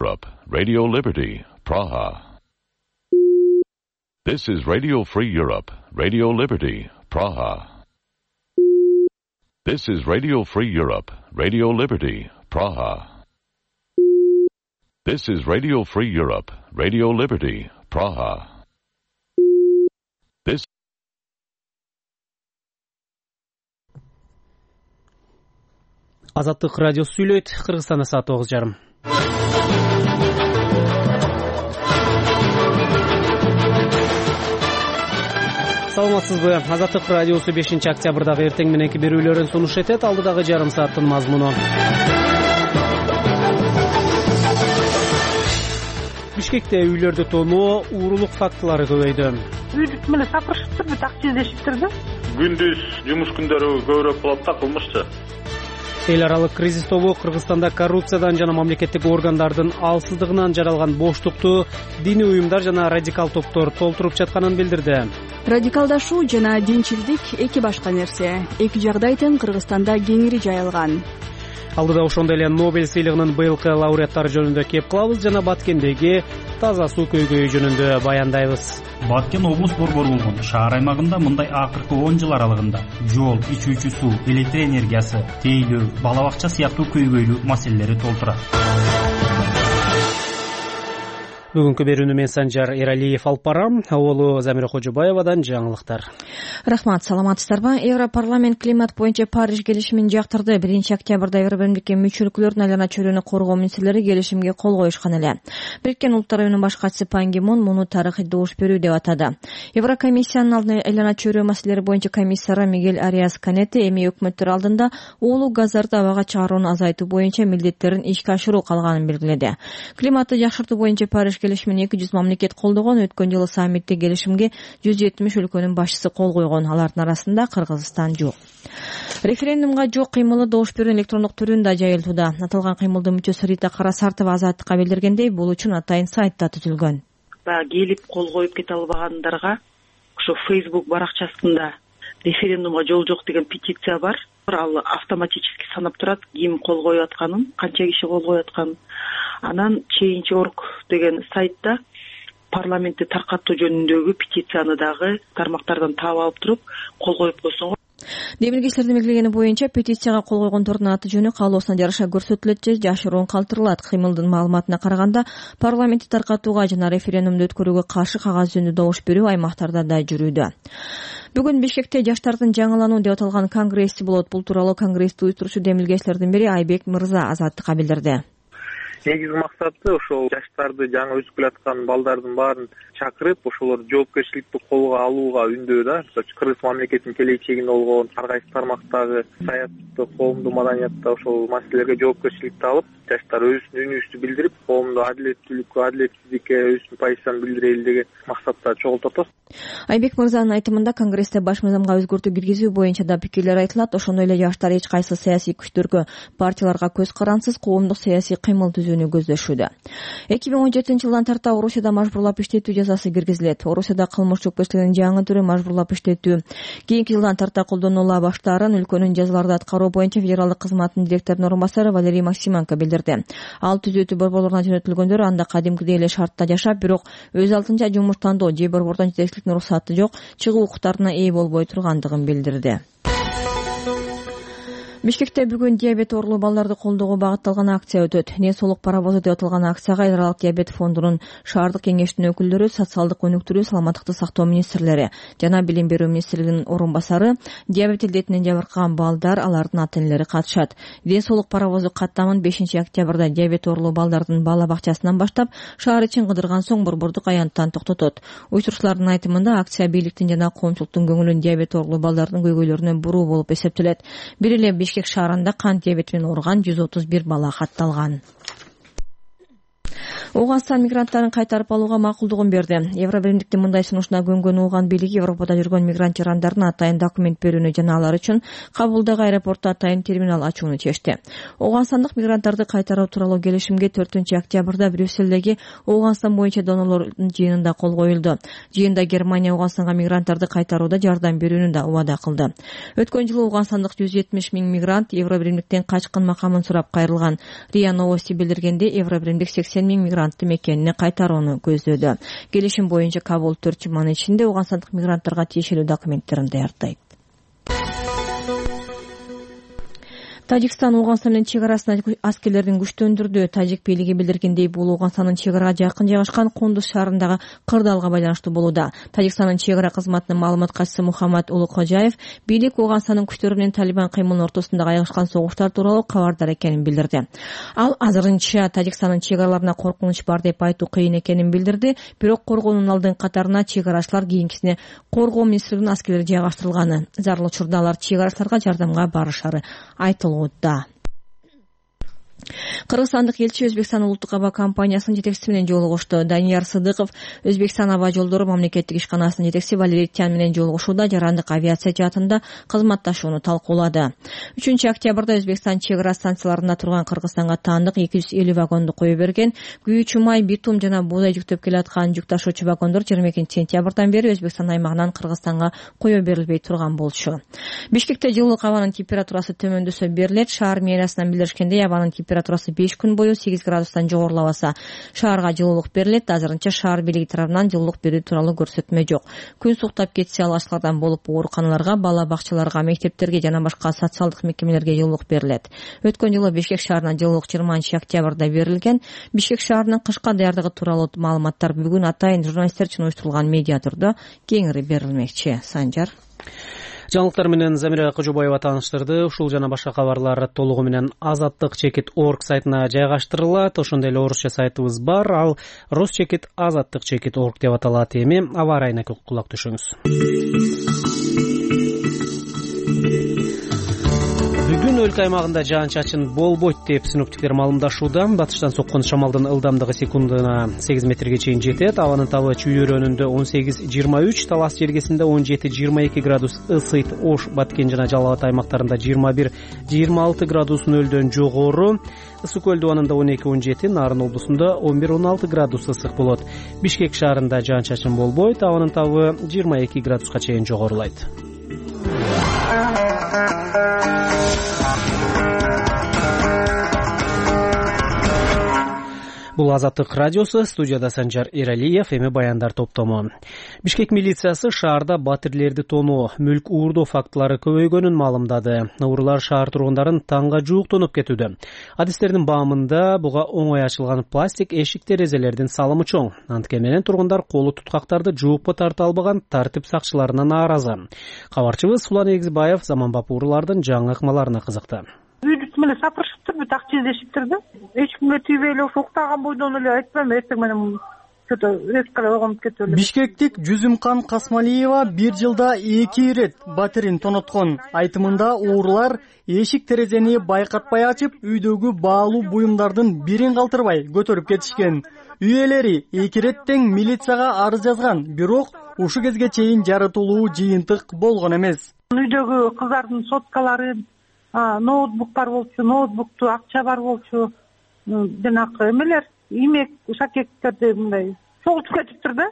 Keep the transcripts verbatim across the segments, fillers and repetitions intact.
Europe, Radio Liberty, Praha. This is Radio Free Europe, Radio Liberty, Praha. This is Radio Free Europe, Radio Liberty, Praha. This is Radio Free Europe, Radio Liberty, Praha. This Азаттык радиосу сүйлөйт. Кыргызстанда саат тогуз жарым. Саламатсызбы? Азаттык радиосу бешинчи октябрдагы эртең мененки берүүлөрүн сунуш этет. Алдыдагы жарым сааттын мазмуну. Бишкекте үйлөрдү тоноо, уурулук фактылары көбөйдү. Үйдүк менен сапырышыптыр, акча издешиптир да. Күндүз жумуш күндөрү көбүрөөк болот да, кылмышчы. Эл аралык кризис тобу Кыргызстанда коррупциядан жана мамлекеттик органдардын алсыздыгынан жаралган боштукту диний уюмдар жана радикал топтор толтуруп жатканын билдирди. Радикалдашуу жана динчилдик эки башка нерсе. Эки жагдай тең Кыргызстанда кеңири жайылган. Алдыда ошондой эле Нобель сыйлыгынын быйылкы лауреаттары жөнүндө кеп кылабыз жана Баткендеги таза суу көйгөйү жөнүндө баяндайбыз. Баткен облус борбору болгон шаар аймагында мындай акыркы он жыл аралыгында жол, ичүүчү суу, электр энергиясы, тейлөө, бала бакча сыяктуу көйгөйлүү маселелери толтурат. Бүгүнкү берүүнү мен Санжар Эралиев алып барам. Аболу Замира Кожобаевадан жаңылыктар. Рахмат, саламатсыздарбы? Европарламент климат боюнча Париж келишимин жактырды. биринчи октябрда Евробиримдикке мүчө өлкөлөрдүн айлана чөйрөнү коргоо министрлери келишимге кол коюшкан эле. Бириккен Улуттар уюмунун баш катчысы Пан Ги Мун муну тарыхый добуш берүү деп атады. Еврокомиссиянын алдына айлана чөйрө маселелери боюнча комиссары Мигель Ариас Канете эми өкмөттөр алдында уулуу газдарды абага чыгарууну азайтуу боюнча милдеттерин ишке ашыруу калганын белгиледи. Климатты жакшыртуу боюнча Париж келишимин эки жүз мамлекет колдогон. Өткөн жылы саммитте келишимге жүз жетимиш өлкөнүн башчысы кол койгон. Алардын арасында Кыргызстан жок. Референдумга жок кыймылы добуш берүүнүн электрондук түрүндө жайылтууда. Аталган кыймылдын мүчөсү Рита Карасартова Азаттыкка билдиргендей, бул үчүн атайын сайтта түзүлгөн. Баягы келип кол коюп кете албагандарга ошо Facebook баракчасында референдумга жол жок деген петиция бар. Ал автоматически санап турат ким кол коюп атканын, канча киши кол коюп атканын. Анан Change точка org деген сайтта парламентти таркатуу жөнүндөгү петицияны дагы тармактардан таап алып туруп кол коюп койсоң. Демилгечилердин белгилегени боюнча петицияга кол койгондордун аты жөнү каалоосуна жараша көрсөтүлөт же жашыруун калтырылат. Кыймылдын маалыматына караганда парламентти таркатууга жана референдумду өткөрүүгө каршы кагаз жүзүндө добуш берүү аймактарда да жүрүүдө. Бүгүн Бишкекте жаштардын жаңылануу деп аталган конгресси болот. Бул тууралуу конгрессти уюштуруучу демилгечилердин бири Айбек Мырза Азаттыкка билдирди. Негизги максаты ошол жаштарды жаңы өсүп келаткан балдардын баарын чакырып, ошолорду жоопкерчиликти колго алууга үндөө да. Кыргыз мамлекетинин келечегинде болгон ар кайсы тармактагы саясатты, коомдук маданиятта ошол маселелерге жоопкерчиликти алып, жаштар өзүнүн үнүбүздү билдирип, коомдо адилеттүүлүккө, адилетсиздикке өзүнүн позициясын билдирели деген максатта чогултат. Айбек Мырзанын айтымында конгрессте баш мыйзамга өзгөртүү киргизүү боюнча да пикирлер айтылат. Ошондой эле жаштар эч кайсы саясий күчтөргө, партияларга көз карансыз коомдук саясий кыймыл түзүүнү көздөшүүдө. эки миң он жетинчи жылдан тарта Орусияда мажбурлап иштетүү жазасы киргизилет. Орусияда кылмыш жоопкерчилигинин жаңы түрү мажбурлап иштетүү. Кийинки жылдан тарта колдонула баштаарын өлкөнүн жазаларды аткаруу боюнча федералдык кызматтын директорунун орун басары Валерий Максименко билдирди. Ал түзөтүү борборлоруна жөнөтүлгөндөр анда кадимкидей эле шартта жашап, бирок өз алдынча жумуш тандоо же борбордон жетекчиликтин уруксаты жок, чыгуу укуктарына ээ болбой тургандыгын билдирди. Бишкекте бүгүн диабет оорулуу балдарды колдоого багытталган акция өтөт. Не соолук паровозу деп аталган акцияга эл аралык диабет фондунун шаардык кеңештин өкүлдөрү, социалдык өнүктүрүү, саламаттыкты сактоо министрлери жана билим берүү министрлигинин орун басары, диабет илдетинен жабыркаган балдар, алардын ата-энелери катышат. Ден соолук паровозу каттамын бешинчи октябрда диабет оорулуу балдардын бала бакчасынан баштап шаар ичин кыдырган соң борбордук аянттан токтотот. Уюштуруучулардын айтымында акция бийликтин жана коомчулуктун көңүлүн диабет оорулуу балдардын көйгөйлөрүнө буруу болуп эсептелет. Бир эле Бишкек шаарында кант диабети менен ооруган жүз отуз бир бала катталган. Ооганстан мигранттарын кайтарып алууга макулдугун берди. Евробиримдиктин мындай сунушуна көнгөн Ооган бийлиги Европада жүргөн мигрант жарандардын атайын документ берүүнү жана алар үчүн Кабулдагы аэропортто атайын терминал ачууну чечти. Ооганстандык мигранттарды кайтаруу тууралуу келишимге төртүнчү октябрда Брюссельдеги Ооганстан боюнча донорлордун жыйынында кол коюлду. Жыйында Германия Ооганстанга мигранттарды кайтарууда жардам берүүнү да убада кылды. Өткөн жылы ооганстандык жүз жетимиш миң мигрант Евробиримдиктен качкын макамын сурап кайрылган. РИА Новости билдиргенде Евробиримдик сексен миң мигрантты мекенине кайтарууну көздөөдө. Келишим боюнча Кабул төрт жуманын ичинде ооганстандык мигранттарга тиешелүү документтерин даярдайт. Тажикстан Ооганстан менен чек арасына аскерлерин күчтөндүрдү. Тажик бийлиги билдиргендей, бул Ооганстандын чек арага жакын жайгашкан Кундуз шаарындагы кырдаалга байланыштуу болууда. Тажикстандын чек ара кызматынын маалымат катчысы Мухаммад Улукхожаев бийлик Ооганстандын күчтөрү менен Талибан кыймылынын ортосундагы айгашкан согуштар тууралуу кабардар экенин билдирди. Ал азырынча Тажикстандын чек араларына коркунуч бар деп айтуу кыйын экенин билдирди. Бирок коргоонун алдын катарына чек арачылар кийинкисине коргоо министрлигинин аскерлери жайгаштырылганы. Зарыл учурда алар чек арачыларга жардамга барышары айтылды. Кыргызстандык элчи Өзбекстан улуттук аба компаниясынын жетекчиси менен жолугушту. Данияр Сыдыков Өзбекстан аба жолдору мамлекеттик ишканасынын жетекчиси Валерий Тян менен жолугушууда жарандык авиация жаатында кызматташууну талкуулады. үчүнчү октябрда Өзбекстан чек ара станцияларында турган Кыргызстанга таандык эки жүз элүү вагонду кое берген. Күйүүчү май, битум жана буудай жүктөп келаткан жүк ташуучу вагондор жыйырма экинчи сентябрдан бери Өзбекстан аймагынан Кыргызстанга кое берилбей турган болчу. Бишкекте жылдык абанын температурасы төмөндөсө берилет. Шаар мэриясынан билдиришкендей, абанын температурасы беш күн бою сегиз градустан жогорулабаса шаарга жылуулук берилет. Азырынча шаар бийлиги тарабынан жылуулук берүү тууралуу көрсөтмө жок. Күн суктап кетсе алгачкылардан болуп ооруканаларга, бала бакчаларга, мектептерге жана башка социалдык мекемелерге жылуулук берилет. Өткөн жылы Бишкек шаарына жылуулук жыйырманчы октябрда берилген. Бишкек шаарынын кышка даярдыгы тууралуу маалыматтар бүгүн атайын журналисттер үчүн уюштурулган медиа турда кеңири берилмекчи. Санжар. Жаңылыктар менен Замира Кожобаева тааныштырды. Ушул жана башка кабарлар толугу менен азаттык чекит точка орг сайтына жайгаштырылат. Ошондой эле орусча сайтыбыз бар. Ал Росчекит азаттык чекит точка орг деп аталат. Эми аба ырайына кулак түшүңүз. Бүгүн өлкө аймагында жаан-чачын болбойт деп синоптиктер маалымдашууда. Батыштан соккон шамалдын ылдамдыгы секундуна сегиз метрге чейин жетет. Абанын табы чүй-өрөөнүндө он сегиз жыйырма үч, Талас жергесинде он жети жыйырма эки градус ысыйт. Ош, Баткен жана Жалал Абад аймактарында жыйырма бир жыйырма алты градус нөлдөн жогору. Ысык көл дубанында он эки он жети, Нарын облусунда он бир он алты градус ысык болот. Бишкек шаарында жаан-чачын болбойт. Абанын табы жыйырма эки градуска чейин жогорулайт. Бул Азаттык радиосу, студияда Санжар Эралиев, эми баяндар топтому. Бишкек милициясы шаарда батирлерди тоноо, мүлк уурдоо фактылары көбөйгөнүн маалымдады. Уурулар шаар тургундарын таңга жуук тонуп кетүүдө. Адистердин баамында буга оңой ачылган пластик эшик терезелердин салымы чоң. Антке менен тургундар колу туткактарды жуупка тарта албаган тартип сакчыларына нааразы. Кабарчыбыз Сулан Эгизбаев заманбап уурулардын жаңы ыкмаларына кызыкты. Үйдү эле сапырышыптыр, так чиздешиптир да. Эч кимге тийбей эле уктаган бойдон эле айтпайм, эртең менен что-то резко эле ойгонуп кетип эле. Бишкектик Жүзүмкан Касмалиева бир жылда эки ирет батирин тоноткон. Айтымында уурулар эшик терезени байкатпай ачып, үйдөгү баалуу буюмдардын бирин калтырбай көтөрүп кетишкен. Үй ээлери эки ирет тең милицияга арыз жазган, бирок ушу кезге чейин жарытылуу жыйынтык болгон эмес. Үйдөгү кыздардын соткалары, ноутбук бар болчу, ноутбукту акча бар болчу, жанагы эмелер, имек, шакектерди мындай чогултуп кетиптир да,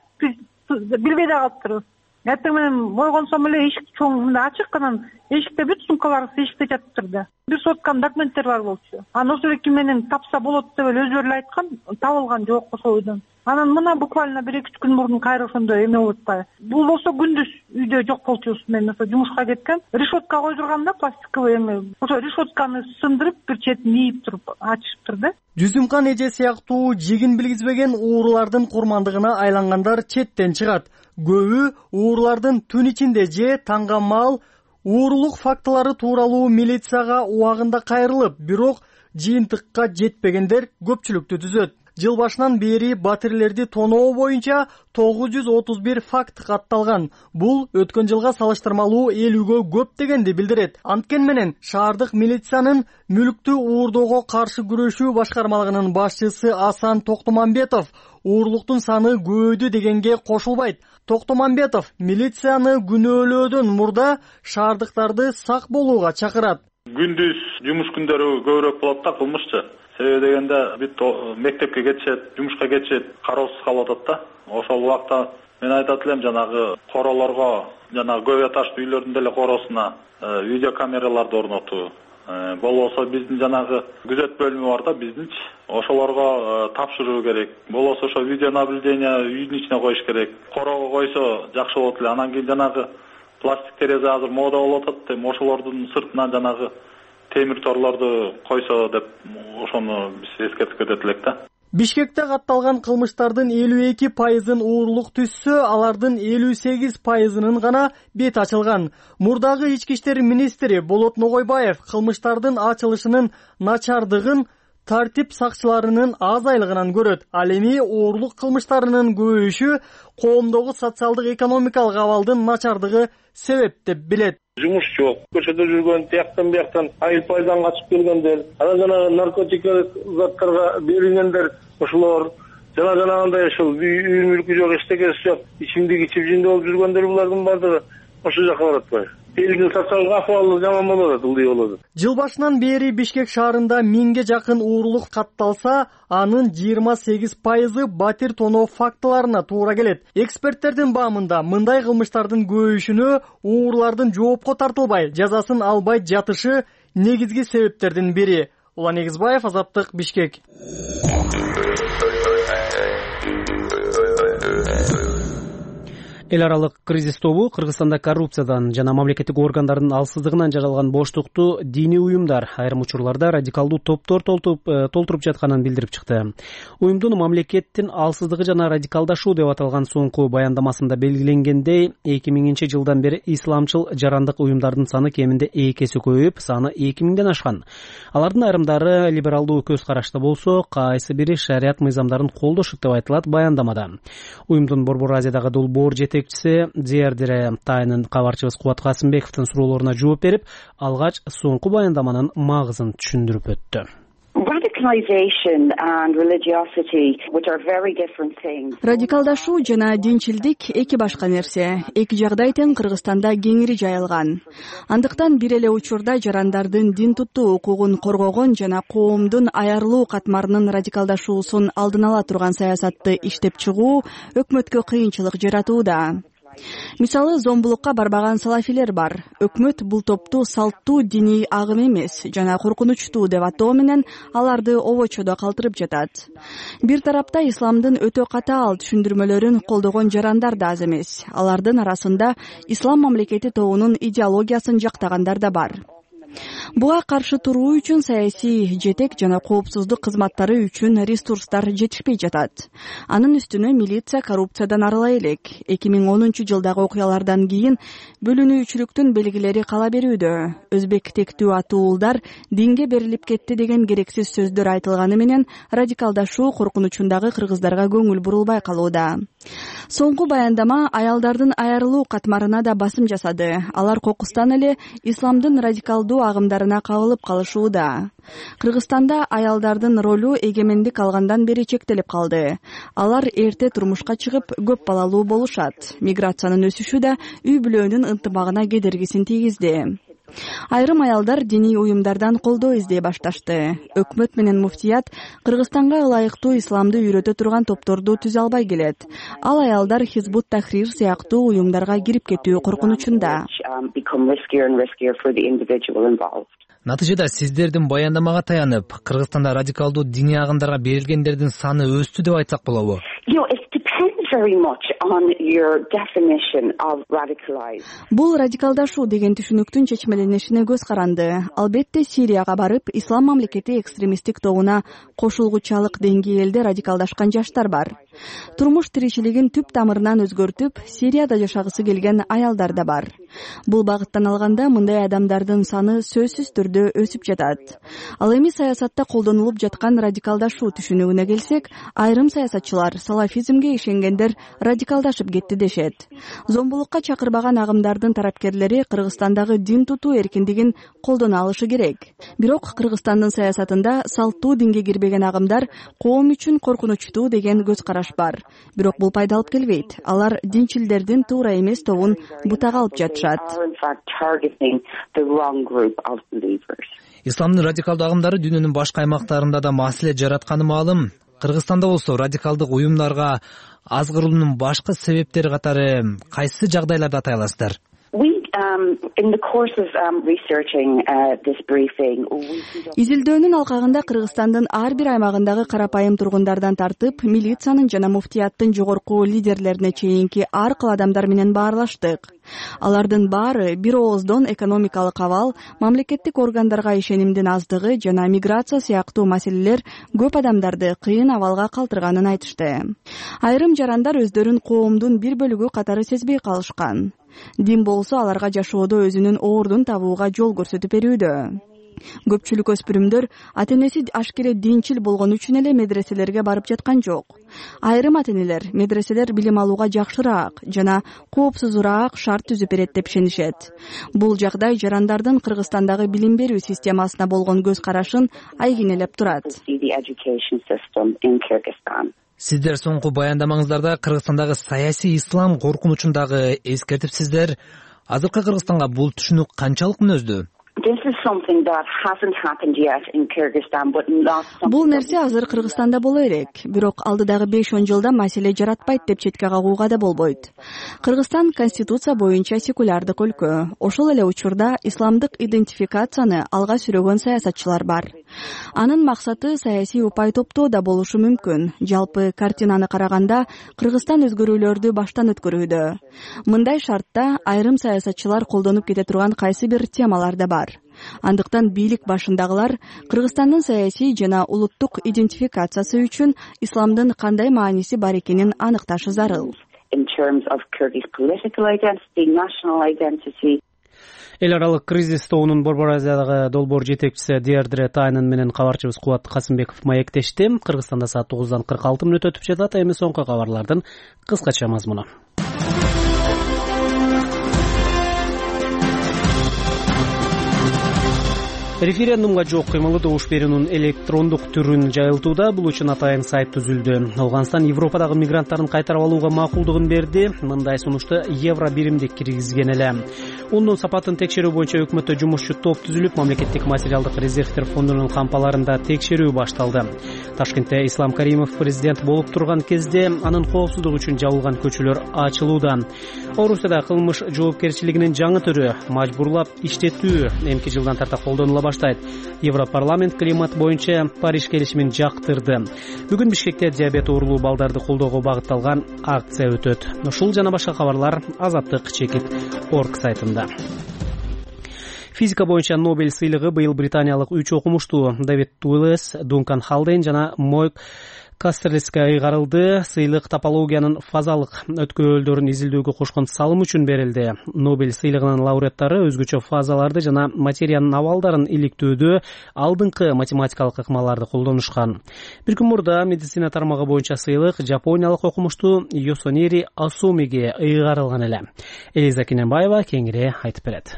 билбей да калыптыр. Эртең менен ойгонсом эле эшик чоң мындай ачык, анан эшикте бүт сумкаларыбыз эшикте жатыптыр да. Бир сотканын документтери бар болчу. Анан ошол эки менен тапса болот деп эле өзүлөрү эле айткан, табылган жок ошол үйдөн. Анан мына буквально бир эки күн мурун кайра ошондой эме болуп атпайбы. Бул болсо күндүз үйдө жок болчубуз. Мен ошо жумушка кеткен, решетка койдурганда пластиковый эме. Ошо решетканы сындырып, бир четин ийип туруп ачышыптыр да. Жүзүмкан эже сыяктуу жигин билгизбеген уурулардын курмандыгына айлангандар четтен чыгат. Көбү уурулардын түн ичинде же таңга маал уурулук фактылары тууралуу милицияга убагында кайрылып, бирок жыйынтыкка жетпегендер көпчүлүктү түзөт. Жыл башынан бери батирлерди тоноо боюнча тогуз жүз отуз бир факт катталган. Бул өткөн жылга салыштырмалуу элүүгө көп дегенди билдирет. Анткени менен шаардык милициянын мүлктү уурдоого каршы күрөшүү башкармалыгынын башчысы Асан Токтомамбетов уурлуктун саны көбөйдү дегенге кошулбайт. Токтомамбетов милицияны күнөөлөөдөн мурда шаардыктарды сак болууга чакырат. Күндүз жумуш күндөрү көбүрөөк болот да кылмышчы. Себеби дегенде бүт мектепке кетишет, жумушка кетишет, кароосуз калып атат да. Ошол убакта мен айтат элем жанагы королорго, жанагы көп этаждуу үйлөрдүн деле короосуна видео камераларды орнотуу. Болбосо биздин жанагы күзөт бөлүмү бар да биздинчи. Ошолорго тапшыруу керек. Болбосо ошо видео наблюдение үйдүн ичине коюш керек. Короого койсо жакшы болот эле. Анан кийин жанагы пластик терезе азыр мода болуп атат. Эми ошолордун сыртынан жанагы темир торлорду койсо деп ошону биз эскертип кетет элек да. Бишкекте катталган кылмыштардын элүү эки пайызын уурлук түзсө, алардын элүү сегиз пайызынын гана бет ачылган. Мурдагы ички иштер министри Болот Ногойбаев кылмыштардын ачылышынын начардыгын тартип сакчыларынын азайлыгынан көрөт. Ал эми уурлук кылмыштарынын көбөйүшү коомдогу социалдык экономикалык абалдын начардыгы себеп деп билет. Жумуш жок, көчөдө жүргөн, тияктан бияктан айыл пайдан качып келгендер, анан жанагы наркотикалык заттарга берилгендер, ошолор жана жанагындай ошол үй мүлкү жок, эчтекеси жок, ичимдик ичип жинде болуп жүргөндөр булардын баардыгы ошол жака барат атпайбы? Элдин социалдык акыбалы жаман болот, ылдый болот. Жыл башынан бери Бишкек шаарында миңге жакын уурлук катталса, анын жыйырма сегиз пайызы батир тоноо фактыларына туура келет. Эксперттердин баамында мындай кылмыштардын көбөйүшүнө уурлардын жоопко тартылбай, жазасын албай жатышы негизги себептердин бири. Улан Негизбаев, Азаттык, Бишкек. Эл аралык кризис тобу Кыргызстанда коррупциядан жана мамлекеттик органдардын алсыздыгынан жаралган боштукту диний уюмдар, айрым учурларда радикалдуу топтор толтуруп жатканын билдирип чыкты. Уюмдун мамлекеттин алсыздыгы жана радикалдашуу деп аталган соңку баяндамасында белгиленгендей, эки миңинчи жылдан бери исламчыл жарандык уюмдардын саны кеминде эки эсе көбөйүп, саны эки миңден ашкан. Алардын айрымдары либералдуу көз карашта болсо, кайсы бири шарият мыйзамдарын колдошот деп айтылат баяндамада. Уюмдун Борбор Азиядагы долбоор жетекчиси Зиярдире Тайнын кабарчыбыз Кубат Касымбековдун суроолоруна жооп берип, алгач соңку баяндаманын магызын түшүндүрүп өттү. Радикалдашуу жана динчилдик эки башка нерсе. Эки жагдай тең Кыргызстанда кеңири жайылган. Андыктан бир эле учурда жарандардын дин туттуу укугун коргогон жана коомдун аярлуу катмарынын радикалдашуусун алдын ала турган саясатты иштеп чыгуу өкмөткө кыйынчылык жаратууда. Мисалы, зомбулукка барбаган салафилер бар. Өкмөт бул топту салттуу диний агым эмес жана коркунучтуу деп атоо менен аларды обочодо калтырып жатат. Бир тарапта исламдын өтө катаал түшүндүрмөлөрүн колдогон жарандар да аз эмес. Алардын арасында ислам мамлекети тобунун идеологиясын жактагандар да бар. Буга каршы туруу үчүн саясий жетек жана коопсуздук кызматтары үчүн ресурстар жетишпей жатат. Анын үстүнө милиция коррупциядан арылай элек. эки миң онунчу жылдагы окуялардан кийин бөлүнүүчүлүктүн белгилери кала берүүдө. Өзбек тектүү атуулдар динге берилип кетти деген керексиз сөздөр айтылганы менен радикалдашуу коркунучундагы кыргыздарга көңүл бурулбай калууда. Соңку баяндама аялдардын айрылуу катмарына да басым жасады. Алар кокустан эле исламдын радикалдуу агымдарына кабылып калышууда. Кыргызстанда аялдардын ролу эгемендик алгандан бери чектелип калды. Алар эрте турмушка чыгып, көп балалуу болушат. Миграциянын өсүшү да үй бүлөнүн ынтымагына кедергисин тийгизди. Айрым аялдар диний уюмдардан колдоо издей башташты. Өкмөт менен муфтият Кыргызстанга ылайыктуу исламды үйрөтө турган топторду түзө албай келет. Ал аялдар Хизбут Тахрир сыяктуу уюмдарга кирип кетүү коркунучунда. Натыйжада сиздердин баяндамага таянып, Кыргызстанда радикалдуу диний агымдарга берилгендердин саны өстү деп айтсак болобу? Бул радикалдашуу деген түшүнүктүн чечмеленишине көз каранды. Албетте Сирияга барып, ислам мамлекети экстремисттик тобуна кошулгучалык деңгээлде радикалдашкан жаштар бар. Турмуш тиричилигин түп тамырынан өзгөртүп, Сирияда жашагысы келген аялдар да бар. Бул багыттан алганда мындай адамдардын саны сөзсүз түрдө өсүп жатат. Ал эми саясатта колдонулуп жаткан радикалдашуу түшүнүгүнө келсек, айрым саясатчылар салафизмге ишенгендер радикалдашып кетти дешет. Зомбулукка чакырбаган агымдардын тарапкерлери Кыргызстандагы дин тутуу эркиндигин колдоно алышы керек. Бирок Кыргызстандын саясатында салттуу динге кирбеген агымдар коом үчүн коркунучтуу деген көз караш бар. Бирок бул пайда алып келбейт. Алар динчилдердин туура эмес тобун бутага алып жатышат. Исламдын радикалдуу агымдары дүйнөнүн башка аймактарында да маселе жаратканы маалым. Кыргызстанда болсо радикалдык уюмдарга азгыруунун башкы себептери катары кайсы жагдайларды атай аласыздар? Изилдөөнүн алкагында Кыргызстандын ар бир аймагындагы карапайым тургундардан тартып, милициянын жана муфтияттын жогорку лидерлерине чейинки ар кыл адамдар менен баарлаштык. Алардын баары бир ооздон экономикалык абал, мамлекеттик органдарга ишенимдин аздыгы жана миграция сыяктуу маселелер көп адамдарды кыйын абалга калтырганын айтышты. Айрым жарандар өздөрүн коомдун бир бөлүгү катары сезбей калышкан. Дин болсо аларга жашоодо өзүнүн ордун табууга жол көрсөтүп берүүдө. Көпчүлүк өспүрүмдөр ата-энеси ашкере динчил болгон үчүн эле медреселерге барып жаткан жок. Айрым ата-энелер медреселер билим алууга жакшыраак жана коопсузураак шарт түзүп берет деп ишенишет. Бул жагдай жарандардын Кыргызстандагы билим берүү системасына болгон көз карашын айгинелеп турат. Сиздер соңку баяндамаңыздарда Кыргызстандагы саясий ислам коркунучун дагы эскертипсиздер. Азыркы Кыргызстанга бул түшүнүк канчалык мүнөздүү? Бул нерсе азыр Кыргызстанда боло элек, бирок алдыдагы беш он жылда маселе жаратпайт деп четке кагууга да болбойт. Кыргызстан конституция боюнча секулярдык өлкө. Ошол эле учурда исламдык идентификацияны алга сүрөгөн саясатчылар бар. Анын максаты саясий упай топтоо да болушу мүмкүн. Жалпы картинаны караганда Кыргызстан өзгөрүүлөрдү баштан өткөрүүдө. Мындай шартта айрым саясатчылар колдонуп кете турган кайсы бир темалар да бар. Андыктан бийлик башындагылар Кыргызстандын саясий жана улуттук идентификациясы үчүн исламдын кандай мааниси бар экенин аныкташы зарыл. Эл аралык кризис тобунун Борбор Азиядагы долбоор жетекчиси Диардре Тайнын менен кабарчыбыз Кубат Касымбеков маектешти. Кыргызстанда саат тогуздан кырк алты мүнөт өтүп жатат. Эми соңку кабарлардын кыскача мазмуну. Референдумга жок кыймылы добуш берүүнүн электрондук түрүн жайылтууда. Бул үчүн атайын сайт түзүлдү. Афганистан Европадагы мигранттарын кайтарып алууга макулдугун берди. Мындай сунушту евро биримдик киргизген эле. Ундун сапатын текшерүү боюнча өкмөттө жумушчу топ түзүлүп, мамлекеттик материалдык резервдер фондунун кампаларында текшерүү башталды. Ташкентте Ислам Каримов президент болуп турган кезде анын коопсуздугу үчүн жабылган көчөлөр ачылууда. Орусияда кылмыш жоопкерчилигинин жаңы түрү мажбурлап иштетүү эмки жылдан тарта колдонула баштайт. Европарламент климат боюнча Париж келишимин жактырды. Бүгүн Бишкекте диабет оорулуу балдарды колдоого багытталган акция өтөт. Ушул жана башка кабарлар Азаттык чекит орг сайтында. Физика боюнча Нобель сыйлыгы быйыл британиялык үч окумуштуу Дэвид Туэлес, Дункан Халдейн жана Мойк Кастерлиске ыйгарылды. Сыйлык топологиянын фазалык өткөөлдөрүн изилдөөгө кошкон салым үчүн берилди. Нобель сыйлыгынын лауреаттары өзгөчө фазаларды жана материянын абалдарын иликтөөдө алдыңкы математикалык ыкмаларды колдонушкан. Бир күн мурда медицина тармагы боюнча сыйлык жапониялык окумуштуу Йосонери Асумиге ыйгарылган эле. Элиза Кененбаева кеңири айтып берет.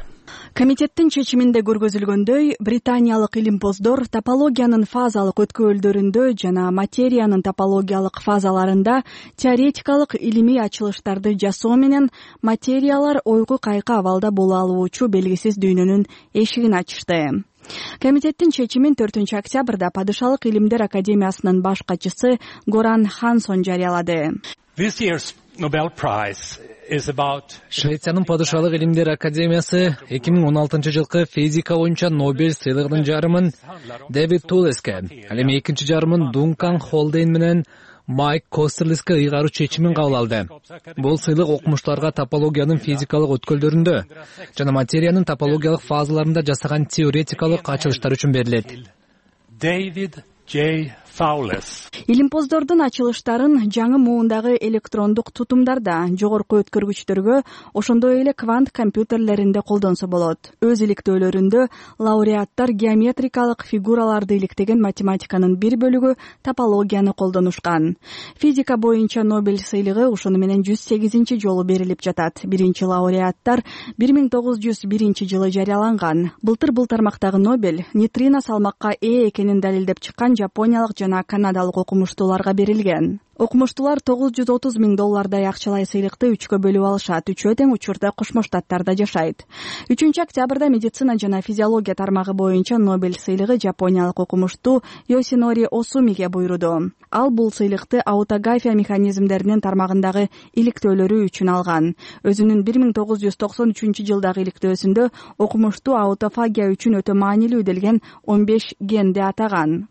Комитеттин чечиминде көргөзүлгөндөй, британиялык илимпоздор топологиянын фазалык өткөөлдөрүндө жана материянын топологиялык фазаларында теоретикалык илимий ачылыштарды жасоо менен материялар ойгу кайкы абалда боло алуучу белгисиз дүйнөнүн эшигин ачышты. Комитеттин чечимин төртүнчү октябрда Падышалык илимдер академиясынын баш катчысы Горан Хансон жарыялады. Швециянын Падышалык илимдер академиясы эки миң он алтынчы жылкы физика боюнча Нобель сыйлыгынын жарымын Дэвид Туэлеске, ал эми экинчи жарымын Дункан Холдейн менен Майк Костерлиске ыйгаруу чечимин кабыл алды. Бул сыйлык окумуштууларга топологиянын физикалык өткөлдөрүндө жана материянын топологиялык фазаларында жасаган теоретикалык ачылыштар үчүн берилет. David J. Fowles. Илимпоздордун ачылыштарын жаңы муундагы электрондук тутумдарда, жогорку өткөргүчтөргө, ошондой эле квант компьютерлеринде колдонсо болот. Өз иликтөөлөрүндө лауреаттар геометрикалык фигураларды иликтеген математиканын бир бөлүгү топологияны колдонушкан. Физика боюнча Нобель сыйлыгы ошону менен жүз сегизинчи жолу берилип жатат. Биринчи лауреаттар бир миң тогуз жүз биринчи жылы жарыяланган. Былтыр бул тармактагы Нобель нейтрино салмакка ээ экенин далилдеп чыккан жапониялык жана канадалык окумуштууларга берилген. Окумуштуулар тогуз жүз отуз миң доллардай акчалай сыйлыкты үчкө бөлүп алышат. Үчөө тең учурда Кошмо Штаттарда жашайт. үчүнчү октябрда медицина жана физиология тармагы боюнча Нобель сыйлыгы жапониялык окумуштуу Йосинори Осумиге буйруду. Ал бул сыйлыкты аутография механизмдеринин тармагындагы иликтөөлөрү үчүн алган. Өзүнүн бир миң тогуз жүз токсон үчүнчү жылдагы иликтөөсүндө окумуштуу аутофагия үчүн өтө маанилүү делген он беш генди атаган.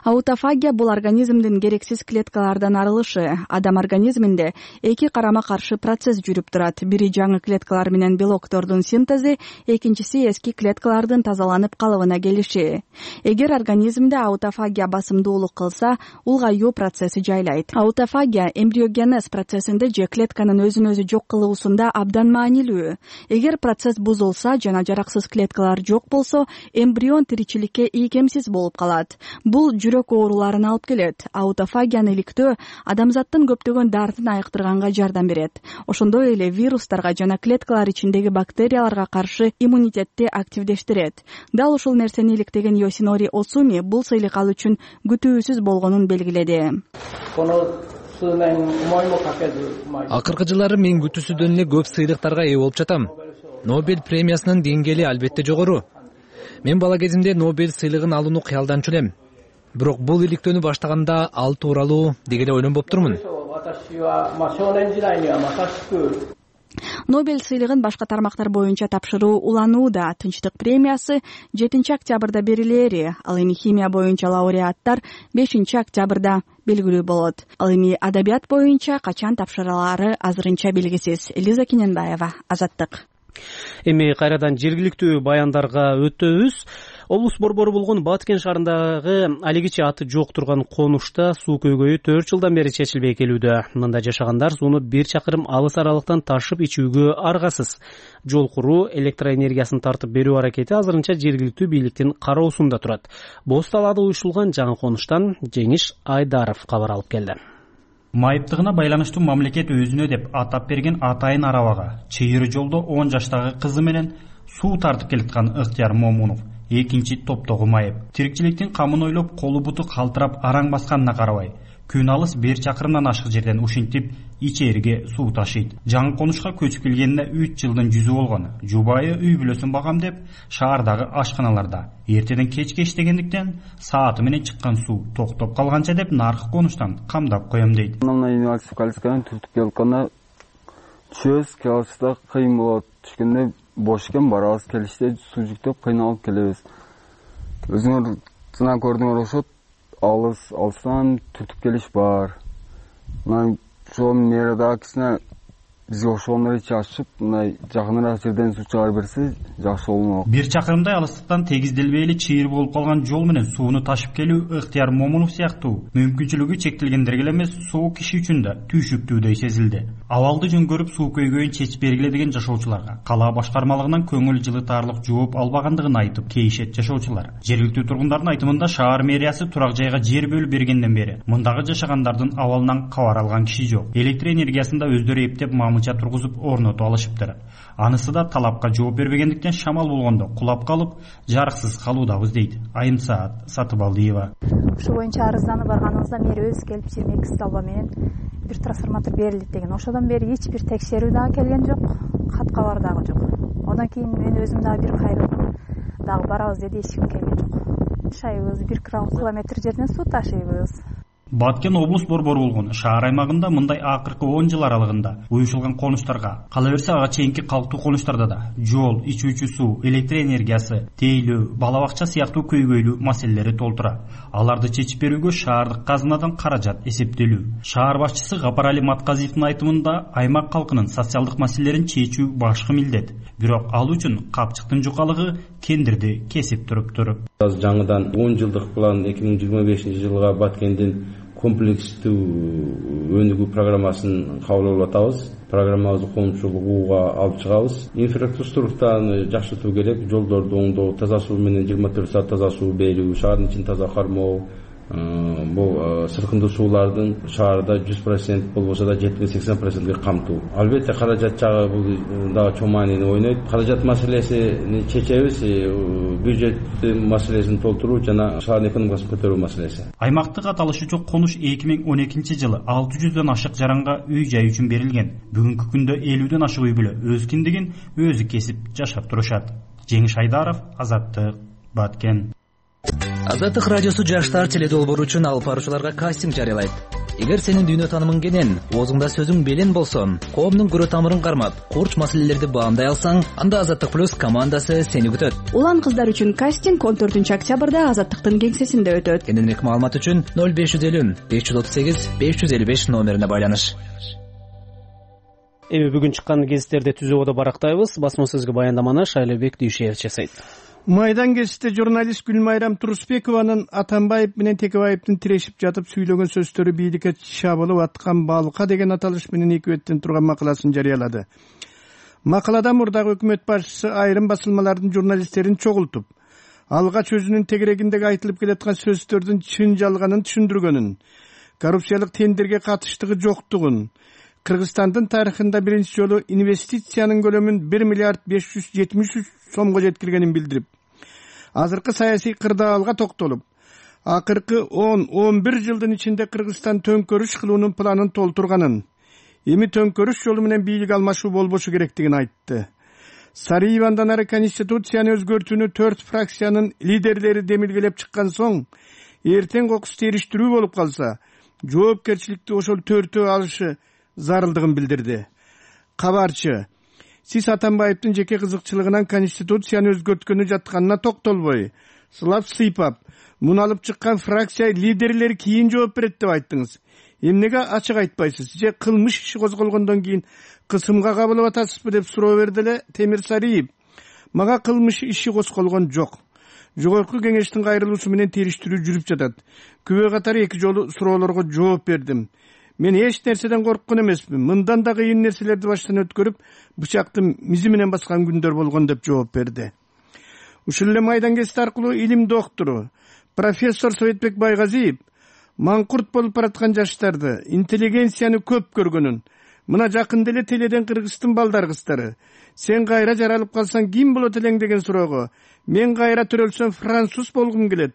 Аутофагия бул организмдин керексиз клеткалардан арылышы. Адам организминде эки карама-каршы процесс жүрүп турат. Бири жаңы клеткалар менен белоктордун синтези, экинчиси эски клеткалардын тазаланып калыбына келиши. Эгер организмде аутофагия басымдуулук кылса, улгаюу процесси жайлайт. Аутофагия эмбриогенез процессинде же клетканын өзүн өзү жок кылуусунда абдан маанилүү. Эгер процесс бузулса жана жараксыз клеткалар жок болсо, эмбрион тиричиликке ийкемсиз болуп калат. Бул жүрөк ооруларына алып келет. Аутофагияны иликтөө адамзаттын көптөгөн дартын айыктырганга жардам берет. Ошондой эле вирустарга жана клеткалар ичиндеги бактерияларга каршы иммунитетти активдештирет. Дал ушул нерсени иликтеген Йосинори Осуми бул сыйлык ал үчүн күтүүсүз болгонун белгиледи. Акыркы жылдары мен күтүүсүдөн эле көп сыйлыктарга ээ болуп жатам. Нобель премиясынын деңгээли албетте жогору. Мен бала кезимде Нобель сыйлыгын алууну кыялданчу элем. Бирок бул иликтөөнү баштаганда ал тууралуу деги эле ойлонуп турмун. Нобель сыйлыгын башка тармактар боюнча тапшыруу уланууда. Тынчтык премиясы жетинчи октябрда берилери. Ал эми химия боюнча лауреаттар бешинчи октябрда белгилүү болот. Ал эми адабият боюнча качан тапшырылаары азырынча белгисиз. Элиза Кененбаева, Азаттык. Эми кайрадан жергиликтүү баяндарга өтөбүз. Облус борбору болгон Баткен шаарындагы алигичи аты жок турган конушта суу көйгөйү төрт жылдан бери чечилбей келүүдө. Мында жашагандар сууну бир чакырым алыс аралыктан ташып ичүүгө аргасыз. Жол куруу, электроэнергиясын тартып берүү аракети азырынча жергиликтүү бийликтин кароосунда турат. Боз талаада уюшулган жаңы конуштан Жеңиш Айдаров кабар алып келди. Майыптыгына байланыштуу мамлекет өзүнө деп атап берген Атайын арабага чыйыр жолдо он жаштагы кызы менен суу тартып келаткан Ыктыяр Момунов экинчи топтогу майып. Тирикчиликтин камын ойлоп, колу буту калтырап араң басканына карабай, күн алыс бир чакырымдан ашык жерден ушинтип ичээрге суу ташыйт. Жаңы конушка көчүп келгенине үч жылдын жүзү болгон. Жубайы үй бүлөсүн багам деп шаардагы ашканаларда эртеден кечке иштегендиктен сааты менен чыккан суу токтоп калганча деп наркы конуштан камдап коем дейт. Түртүп келгенде чөз келиште кыйын болот. Түшкөндө бош экен, барабыз, келиште суу жүктөп кыйналып келебиз. Өзүңөр сына көрдүңөр ошот, алыс алыстан түртүп келиш бар. Мына ошол нерада кичине бизге ошондой чачып, мындай жакыныраак жерден суу чыгарып берсе жакшы болмок. Бир чакырымдай алыстыктан тегизделбейли чыйыр болуп калган жол менен сууну ташып келүү Ыктыяр Момунов сыяктуу мүмкүнчүлүгү чектелгендерге эле эмес, соо киши үчүн да түйшүктүүдөй сезилди. Абалды жөн көрүп суу көйгөйүн чечип бергиле деген жашоочуларга кала башкармалыгынан көңүл жылытаарлык жооп албагандыгын айтып кейишет жашоочулар. Жергиликтүү тургундардын айтымында шаар мэриясы турак жайга жер бөлүп бергенден бери мындагы жашагандардын абалынан кабар алган киши жок. Электр энергиясын да өздөрү эптеп мамыча тургузуп орнотуп алышыптыр. Анысы да талапка жооп бербегендиктен шамал болгондо кулап калып, жарыксыз калуудабыз дейт Айымсаат Сатыбалдиева. Ошол боюнча арызданып барганыбызда мэр өзү келип жыйырма эки столба менен бир трансформатор берилет деген. Ошодон бери эч бир текшерүү дагы келген жок, кат кабар дагы жок. Одан кийин мен өзүм дагы бир кайрылып дагы барабыз деди, эч ким келген жок. Шайыбыз бир километр жерден суу ташыйбыз. Баткен облус борбору болгон шаар аймагында мындай акыркы он жыл аралыгында уюшулган конуштарга, кала берсе ага чейинки калктуу конуштарда да жол, ичүүчү суу, электр энергиясы, тейлөө, бала бакча сыяктуу көйгөйлүү маселелери толтура. Аларды чечип берүүгө шаардык казынадан каражат эсептелүү. Шаар башчысы Гапарали Матказиевдин айтымында аймак калкынын социалдык маселелерин чечүү башкы милдет. Бирок ал үчүн капчыктын жукалыгы кендирди кесип туруптур. Азыр жаңыдан он жылдык план эки миң жыйырма бешинчи жылга Баткендин комплекстүү өнүгүү программасын кабыл алып атабыз. Программабызды коомчулукка алып чыгабыз. Инфраструктураны жакшыртуу керек, жолдорду оңдоо, таза суу менен жыйырма төрт саат таза суу берүү, шаардын ичин таза кармоо. Бул сыркындуу суулардын шаарда жүз процент болбосо да жетимиш сексен процентке камтуу. Албетте каражат жагы бул дагы чоң маанини ойнойт. Каражат маселесин чечебиз, бюджет маселесин толтуруу жана шаардын экономикасын көтөрүү маселеси. Аймактык аталышы жок конуш эки миң он экинчи жылы алты жүздөн ашык жаранга үй жай үчүн берилген. Бүгүнкү күндө элүүдөн ашык үй бүлө өз киндигин өзү кесип жашап турушат. Жеңиш Айдаров, Азаттык, Баткен. Азаттык радиосу жаштар теледолбоору үчүн алып баруучуларга кастинг жарыялайт. Эгер сенин дүйнө таанымың кенен, оозуңда сөзүң белен болсо, коомдун көрө тамырын кармап, курч маселелерди баамдай алсаң, анда Азаттык плюс командасы сени күтөт. Улан кыздар үчүн кастинг он төртүнчү октябрда Азаттыктын кеңсесинде өтөт. Кененирээк маалымат үчүн ноль беш жүз элүү беш жүз отуз сегиз беш жүз элүү беш номерине байланыш. Эми бүгүн чыккан гезиттерди түзүүгө барактайбыз. Басма сөзгө баяндаманы Шайлебек Дүйшеев жасайт. Майдан кесте журналист Гүлмайрам Турусбекованын Атамбаев менен Текебаевдин тирешип жатып сүйлөгөн сөздөрү бийликке чабылып аткан балка деген аталыш менен эки беттен турган макаласын жарыялады. Макалада мурдагы өкмөт башчысы айрым басылмалардын журналисттерин чогултуп, алгач өзүнүн тегерегиндеги айтылып келаткан сөздөрдүн чын жалганын түшүндүргөнүн, коррупциялык тендерге катыштыгы жоктугун, Кыргызстандын тарыхында биринчи жолу инвестициянын көлөмүн бир миллиард беш жүз жетимиш үч сомго жеткиргенин билдирип, азыркы саясий кырдаалга токтолуп, акыркы он он бир жылдын ичинде Кыргызстан төңкөрүш кылуунун планын толтурганын, эми төңкөрүш жолу менен бийлик алмашуу болбошу керектигин айтты. Сариевандан ары конституцияны өзгөртүүнү төрт фракциянын лидерлери демилгелеп чыккан соң, эртең кокус териштирүү болуп калса, жоопкерчиликти ошол төртөө алышы зарылдыгын билдирди. Кабарчы, сиз Атамбаевдин жеке кызыкчылыгынан конституцияны өзгөрткөнү жатканына токтолбой, сылап сыйпап, муну алып чыккан фракция лидерлери кийин жооп берет деп айттыңыз. Эмнеге ачык айтпайсыз? Же кылмыш иши козголгондон кийин кысымга кабылып атасызбы деп суроо берди эле Темир Сариев. Мага кылмыш иши козголгон жок. Жогорку кеңештин кайрылуусу менен териштирүү жүрүп жатат. Күбө катары эки жолу суроолорго жооп бердим. Мен эч нерседен корккон эмесмин. Мындан да кыйын нерселерди баштан өткөрүп, бычакты мизи менен баскан күндөр болгон деп жооп берди. Ушул эле майдан кести аркылуу илим доктору, профессор Советбек Байгазиев маңкурт болуп бараткан жаштарды, интеллигенцияны көп көргөнүн, мына жакында эле теледен Кыргыздын балдар кыздары, сен кайра жаралып калсаң ким болот элең деген суроого, мен кайра төрөлсөм француз болгум келет,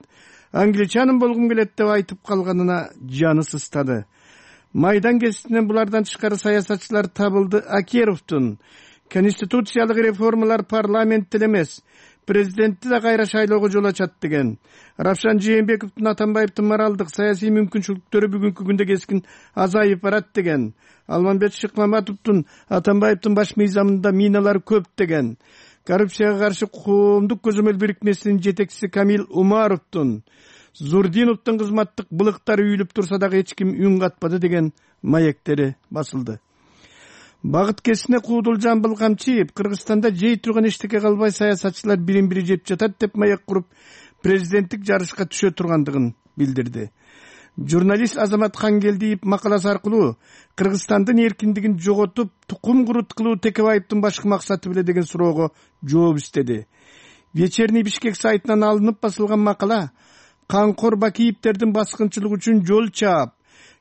англичанын болгум келет деп айтып калганына жаны сыстады. Майдан кесинен булардан тышкары саясатчылар табылды. Акеровдун конституциялык реформалар парламентте эмес, президентти да кайра шайлоого жол ачат деген. Равшан Жээнбековдун Атамбаевдин моралдык саясий мүмкүнчүлүктөрү бүгүнкү күндө кескин азайып барат деген. Алмамбет Шыкмаматовдун Атамбаевдин баш мыйзамында миналар көп деген. Коррупцияга каршы коомдук көзөмөл бирикмесинин жетекчиси Камил Умаровдун Зурдиновдун кызматтык былыктары үйүлүп турса дагы эч ким үн катпады деген маектери басылды. Багыт кесине Куудул Жамбыл Камчиев Кыргызстанда жей турган эчтеке калбай саясатчылар бирин бири жеп жатат деп маек куруп, президенттик жарышка түшө тургандыгын билдирди. Журналист Азамат Хангелдиев макаласы аркылуу Кыргызстандын эркиндигин жоготуп, тукум курут кылуу Текебаевдин башкы максаты беле деген суроого жооп издеди. Вечерний Бишкек сайтынан алынып басылган макала Канкор Бакиевдердин баскынчылыгы үчүн жол чаап,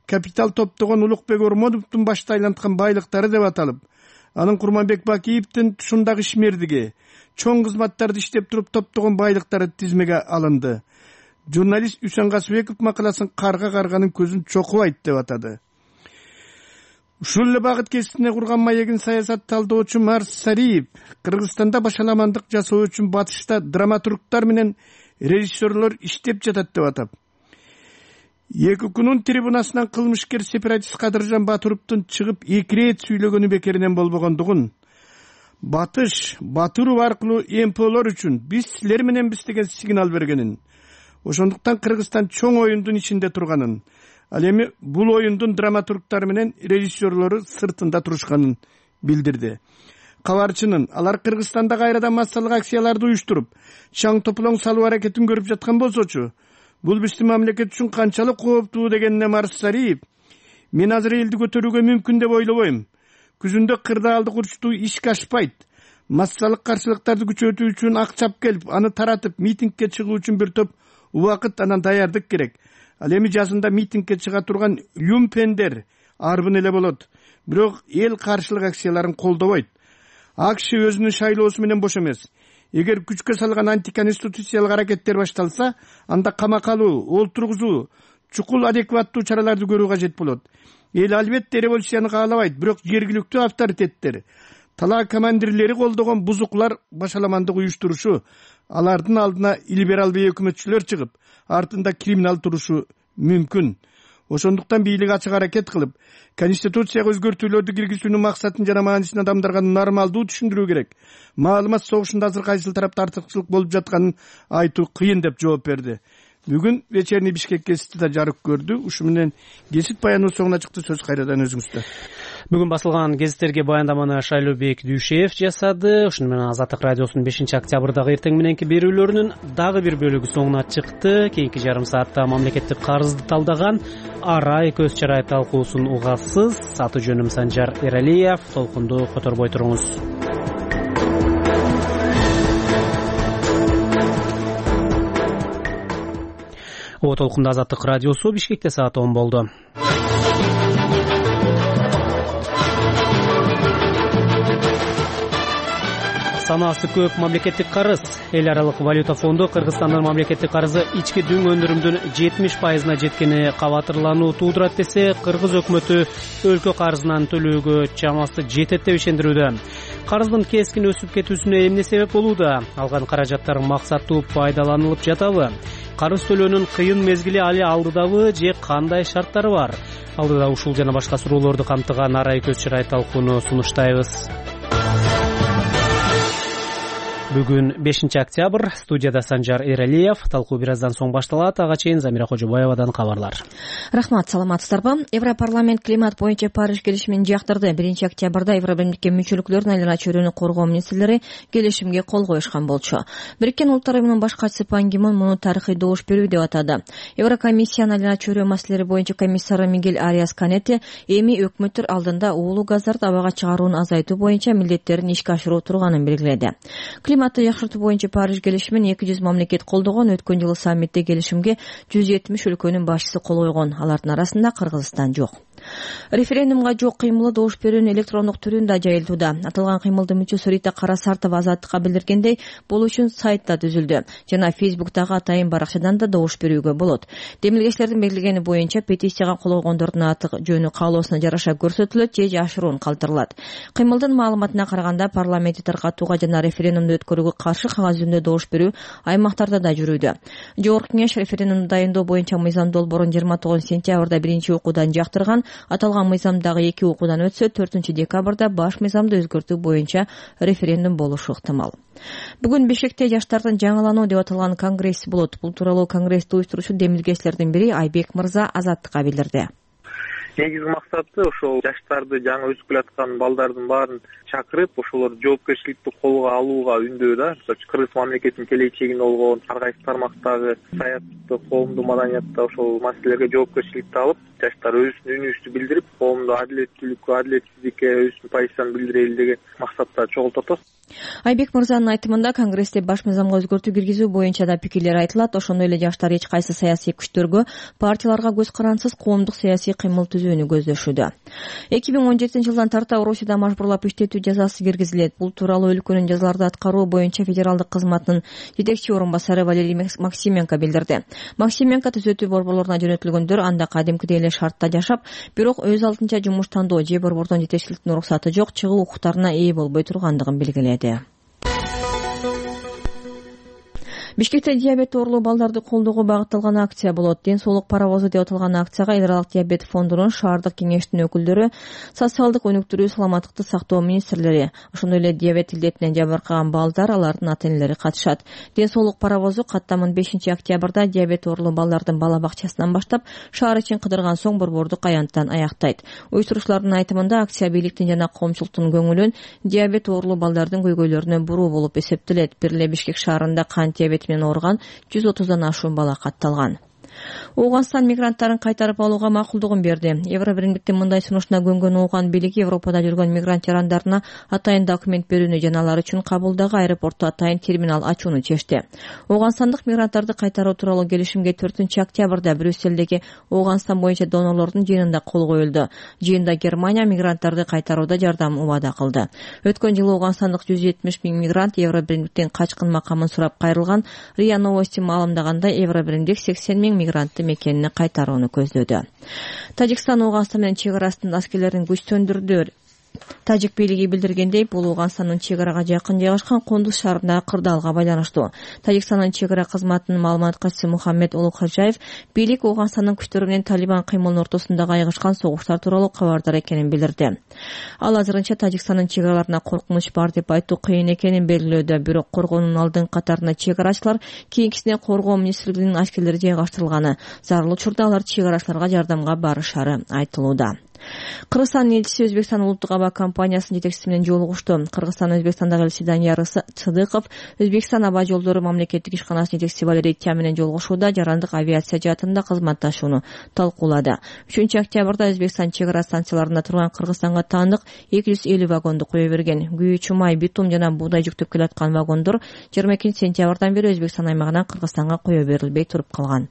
капитал топтогон Улукбек Ормоновдун башта айланткан байлыктары деп аталып, анын Курманбек Бакиевдин тушундагы ишмердиги, чоң кызматтарды иштеп туруп топтогон байлыктары тизмеге алынды. Журналист Үсөн Касыбеков макаласын карга карганын көзүн чокубайт деп атады. Ушул эле багыт кесине курган маегин саясат талдоочу Марс Сариев Кыргызстанда башаламандык жасоо үчүн батышта драматургтар менен режиссерлор иштеп жатат деп атап. ЭККнун трибунасынан кылмышкер сепаратист Кадыржан Батыровдун чыгып эки ирет сүйлөгөнү бекеринен болбогондугун, Батыш Батыров аркылуу эм пэ олор үчүн биз силер мененбиз деген сигнал бергенин, ошондуктан Кыргызстан чоң оюндун ичинде турганын, ал эми бул оюндун драматургдары менен режиссерлору сыртында турушканын билдирди. Кабарчынын алар Кыргызстанда кайрадан массалык акцияларды уюштуруп, чаң тополоң салуу аракетин көрүп жаткан болсочу, бул биздин мамлекет үчүн канчалык кооптуу дегенине Марсариев, мен азыр элди көтөрүүгө мүмкүн деп ойлобойм. Күзүндө кырдаалдык урчтуу ишке ашпайт. Массалык каршылыктарды күчөтүү үчүн акчап келип, аны таратып, митингге чыгуу үчүн бир топ убакыт анан даярдык керек. Ал эми жазында митингге чыга турган люмпендер арбын эле болот. Бирок эл каршылык акцияларын колдобойт. АКШ өзүнүн шайлоосу менен бош эмес. Эгер күчкө салган антиконституциялык аракеттер башталса, анда камакка алуу, олтургузуу, чукул адекваттуу чараларды көрүү кажет болот. Эл албетте революцияны каалабайт, бирок жергиликтүү авторитеттер, талаа командирлери колдогон бузуклар башаламандык уюштурушу, алардын алдына либералдуу өкмөтчүлөр чыгып, артында криминал турушу мүмкүн. Ошондуктан бийлик ачык аракет кылып, конституцияга өзгөртүүлөрдү киргизүүнүн максатын жана маанисин адамдарга нормалдуу түшүндүрүү керек. Маалымат согушунда азыр кайсыл тарапта артыкчылык болуп жатканын айтуу кыйын деп жооп берди. Бүгүн вечерний Бишкек гезити да жарык көрдү. Ушу менен гезит баянынын соңуна чыкты. Сөз кайрадан өзүңүздө. Бүгүн басылган гезиттерге баяндаманы Шайлообек Дүйшеев жасады. Ошону менен Азаттык радиосунун бешинчи октябрдагы эртең мененки берүүлөрүнүн дагы бир бөлүгү соңуна чыкты. Кийинки жарым саатта мамлекеттик карызды талдаган арай көз чарай талкуусун угасыз. Аты жөнүм Санжар Эралиев. Толкунду которбой туруңуз. О толкунда Азаттык радиосу. Бишкекте саат он болду. Санаасы көп мамлекеттик карыз. Эл аралык валюта фонду Кыргызстандын мамлекеттик карызы ички дүң өндүрүмдүн жетимиш пайызына жеткени кабатырлануу туудурат десе, Кыргыз өкмөтү өлкө карызынан төлөөгө чамасы жетет деп ишендирүүдө. Карыздын кескин өсүп кетүүсүнө эмне себеп болууда? Алган каражаттар максаттуу пайдаланылып жатабы? Карыз төлөөнүн кыйын мезгили али алдыдабы же кандай шарттары бар? Алдыда ушул жана башка суроолорду камтыган арай көз чарай талкууну сунуштайбыз. Бүгүн бешинчи октябрь. Студияда Санжар Эралиев. Талкуу бир аздан соң башталат. Ага чейин Замира Кожобаевадан кабарлар. Рахмат, саламатсыздарбы? Европарламент климат боюнча Париж келишимин жактырды. биринчи октябрда Евробирликке мүчөлүктөрдүн айлана чөйрөнү коргоо министрлери келишимге кол коюшкан болчу. Бириккен Улуттар уюмунун баш катчысы Пан Ги Мун муну тарыхый добуш берүү деп атады. Еврокомиссиянын айлана чөйрө маселелери боюнча комиссары Мигель Ариас Канете эми өкмөттөр алдында уулуу газдарды абага чыгарууну азайтуу боюнча милдеттерин ишке ашыруу турганын белгиледи. Климатты жакшыртуу боюнча Париж келишимин эки жүз мамлекет колдогон. Өткөн жылы саммитте келишимге жүз жетимиш өлкөнүн башчысы кол койгон. Алардын арасында Кыргызстан жок. Референдумга жок кыймылы добуш берүүнүн электрондук түрүндө жайылтууда. Аталган кыймылдын мүчөсү Рита Карасартова Азаттыкка билдиргендей, бул үчүн сайт да түзүлдү. Жана Фейсбуктагы атайын баракчадан да добуш берүүгө болот. Демилгечилердин белгилегени боюнча петицияга кол койгондордун аты жөнү каалоосуна жараша көрсөтүлөт же жашыруун калтырылат. Кыймылдын маалыматына караганда парламентти таркатууга жана референдумду өткөрүүгө каршы кагаз жүзүндө добуш берүү аймактарда да жүрүүдө. Жогорку кеңеш референдумду дайындоо боюнча мыйзам долбоорун жыйырма тогузунчу сентябрда биринчи окуудан жактырган. Аталган мыйзамдагы эки окуудан өтсө, төртүнчү декабрда баш мыйзамды өзгөртүү боюнча референдум болушу ыктымал. Бүгүн Бишкекте жаштардын жаңылануу деп аталган конгресс болот. Бул тууралуу конгрессти уюштуруучу демилгечилердин бири Айбек Мырза Азаттыкка билдирди. Негизги максаты ошол жаштарды, жаңы өсүп келаткан балдардын баарын чакырып, ошолор жоопкерчиликти колго алууга үндөө да. Кыргыз мамлекетинин келечегинде болгон ар кайсы тармактагы саясатты, коомдук маданиятта ошол маселелерге жоопкерчиликти алып, жаштар өзүнүн үнүбүздү билдирип, коомдо адилеттүүлүккө, адилетсиздикке өзүнүн позициясын билдирели деген максатта чогултот. Айбек Мырзанын айтымында конгрессте баш мыйзамга өзгөртүү киргизүү боюнча да пикирлер айтылат. Ошондой эле жаштар эч кайсы саясий күчтөргө, партияларга көз карансыз коомдук саясий кыймыл түзүүнү көздөшүүдө. эки миң он жетинчи жылдан тарта Орусияда мажбурлап иштетүү жазасы киргизилет. Бул тууралуу өлкөнүн жазаларды аткаруу боюнча федералдык кызматтын жетекчи орун басары Валерий Максименко билдирди. Максименко түзөтүү борборлоруна жөнөтүлгөндөр анда кадимкидей эле шартта жашап, бирок өз алдынча жумуштандоо же борбордон жетекчиликтин уруксаты жок, чыгуу укуктарына ээ болбой тургандыгын белгиледи. Бишкекте диабет оорулуу балдарды колдоого багытталган акция болот. Ден соолук паровозу деп аталган акцияга эл аралык диабет фондунун шаардык кеңештин өкүлдөрү, социалдык өнүктүрүү, саламаттыкты сактоо министрлери, ошондой эле диабет илдетинен жабыркаган балдар, алардын ата-энелери катышат. Ден соолук паровозу каттамын бешинчи октябрда диабет оорулуу балдардын бала бакчасынан баштап шаар ичин кыдырган соң Борбордук аянттан аяктайт. Уюштуруучулардын айтымында акция бийликтин жана коомчулуктун көңүлүн диабет оорулуу балдардын көйгөйлөрүнө буруу болуп эсептелет. Бир эле Бишкек шаарында кант диабети менен ооруган жүз отуздан ашуун бала катталган. Ооганстан мигранттарын кайтарып алууга макулдугун берди. Евробиримдиктин мындай сунушуна көнгөн Ооган бийлиги Европада жүргөн мигрант жарандарына атайын документ берүүнү жана алар үчүн Кабулдагы аэропортто атайын терминал ачууну чечти. Ооганстандык мигранттарды кайтаруу тууралуу келишимге төртүнчү октябрда Брюссельдеги Ооганстан боюнча донорлордун жыйынында кол коюлду. Жыйында Германия мигранттарды кайтарууда жардам убада кылды. Өткөн жылы ооганстандык жүз жетимиш миң мигрант Евробиримдиктен качкын макамын сурап кайрылган. РИА Новости маалымдагандай, Евробиримдик сексен миң мигрантты мекенине кайтарууну көздөдү. Тажикстан Ооганстан менен чек арасынын аскерлерин күчтөндүрдү. Тажик бийлиги билдиргендей, бул Ооганстандын чек арага жакын жайгашкан Кондуз шаарындагы кырдаалга байланыштуу. Тажикстандын чек ара кызматынын маалымат катчысы Мухаммед Улукхожаев бийлик Ооганстандын күчтөрү менен Талибан кыймылынын ортосундагы айгышкан согуштар тууралуу кабардар экенин билдирди. Ал азырынча Тажикстандын чек араларына коркунуч бар деп айтуу кыйын экенин белгилөөдө, бирок коргоонун алдыңкы катарына чек арачылар, кийинкисине коргоо министрлигинин аскерлери жайгаштырылганы, зарыл учурда алар чек арачыларга жардамга барышары айтылууда. Кыргызстандын элчиси Өзбекстан улуттук аба компаниясынын жетекчиси менен жолугушту. Кыргызстан Өзбекстандагы элчиси Данияр Сыдыков Өзбекстан аба жолдору мамлекеттик ишканасынын жетекчиси Валерий Тя менен жолугушууда жарандык авиация жаатында кызматташууну талкуулады. үчүнчү октябрда Өзбекстан чек ара станцияларында турган Кыргызстанга таандык эки жүз элүү вагонду кое берген. Күйүүчү май, битум жана буудай жүктөп келаткан вагондор жыйырма экинчи сентябрдан бери Өзбекстан аймагынан Кыргызстанга кое берилбей туруп калган.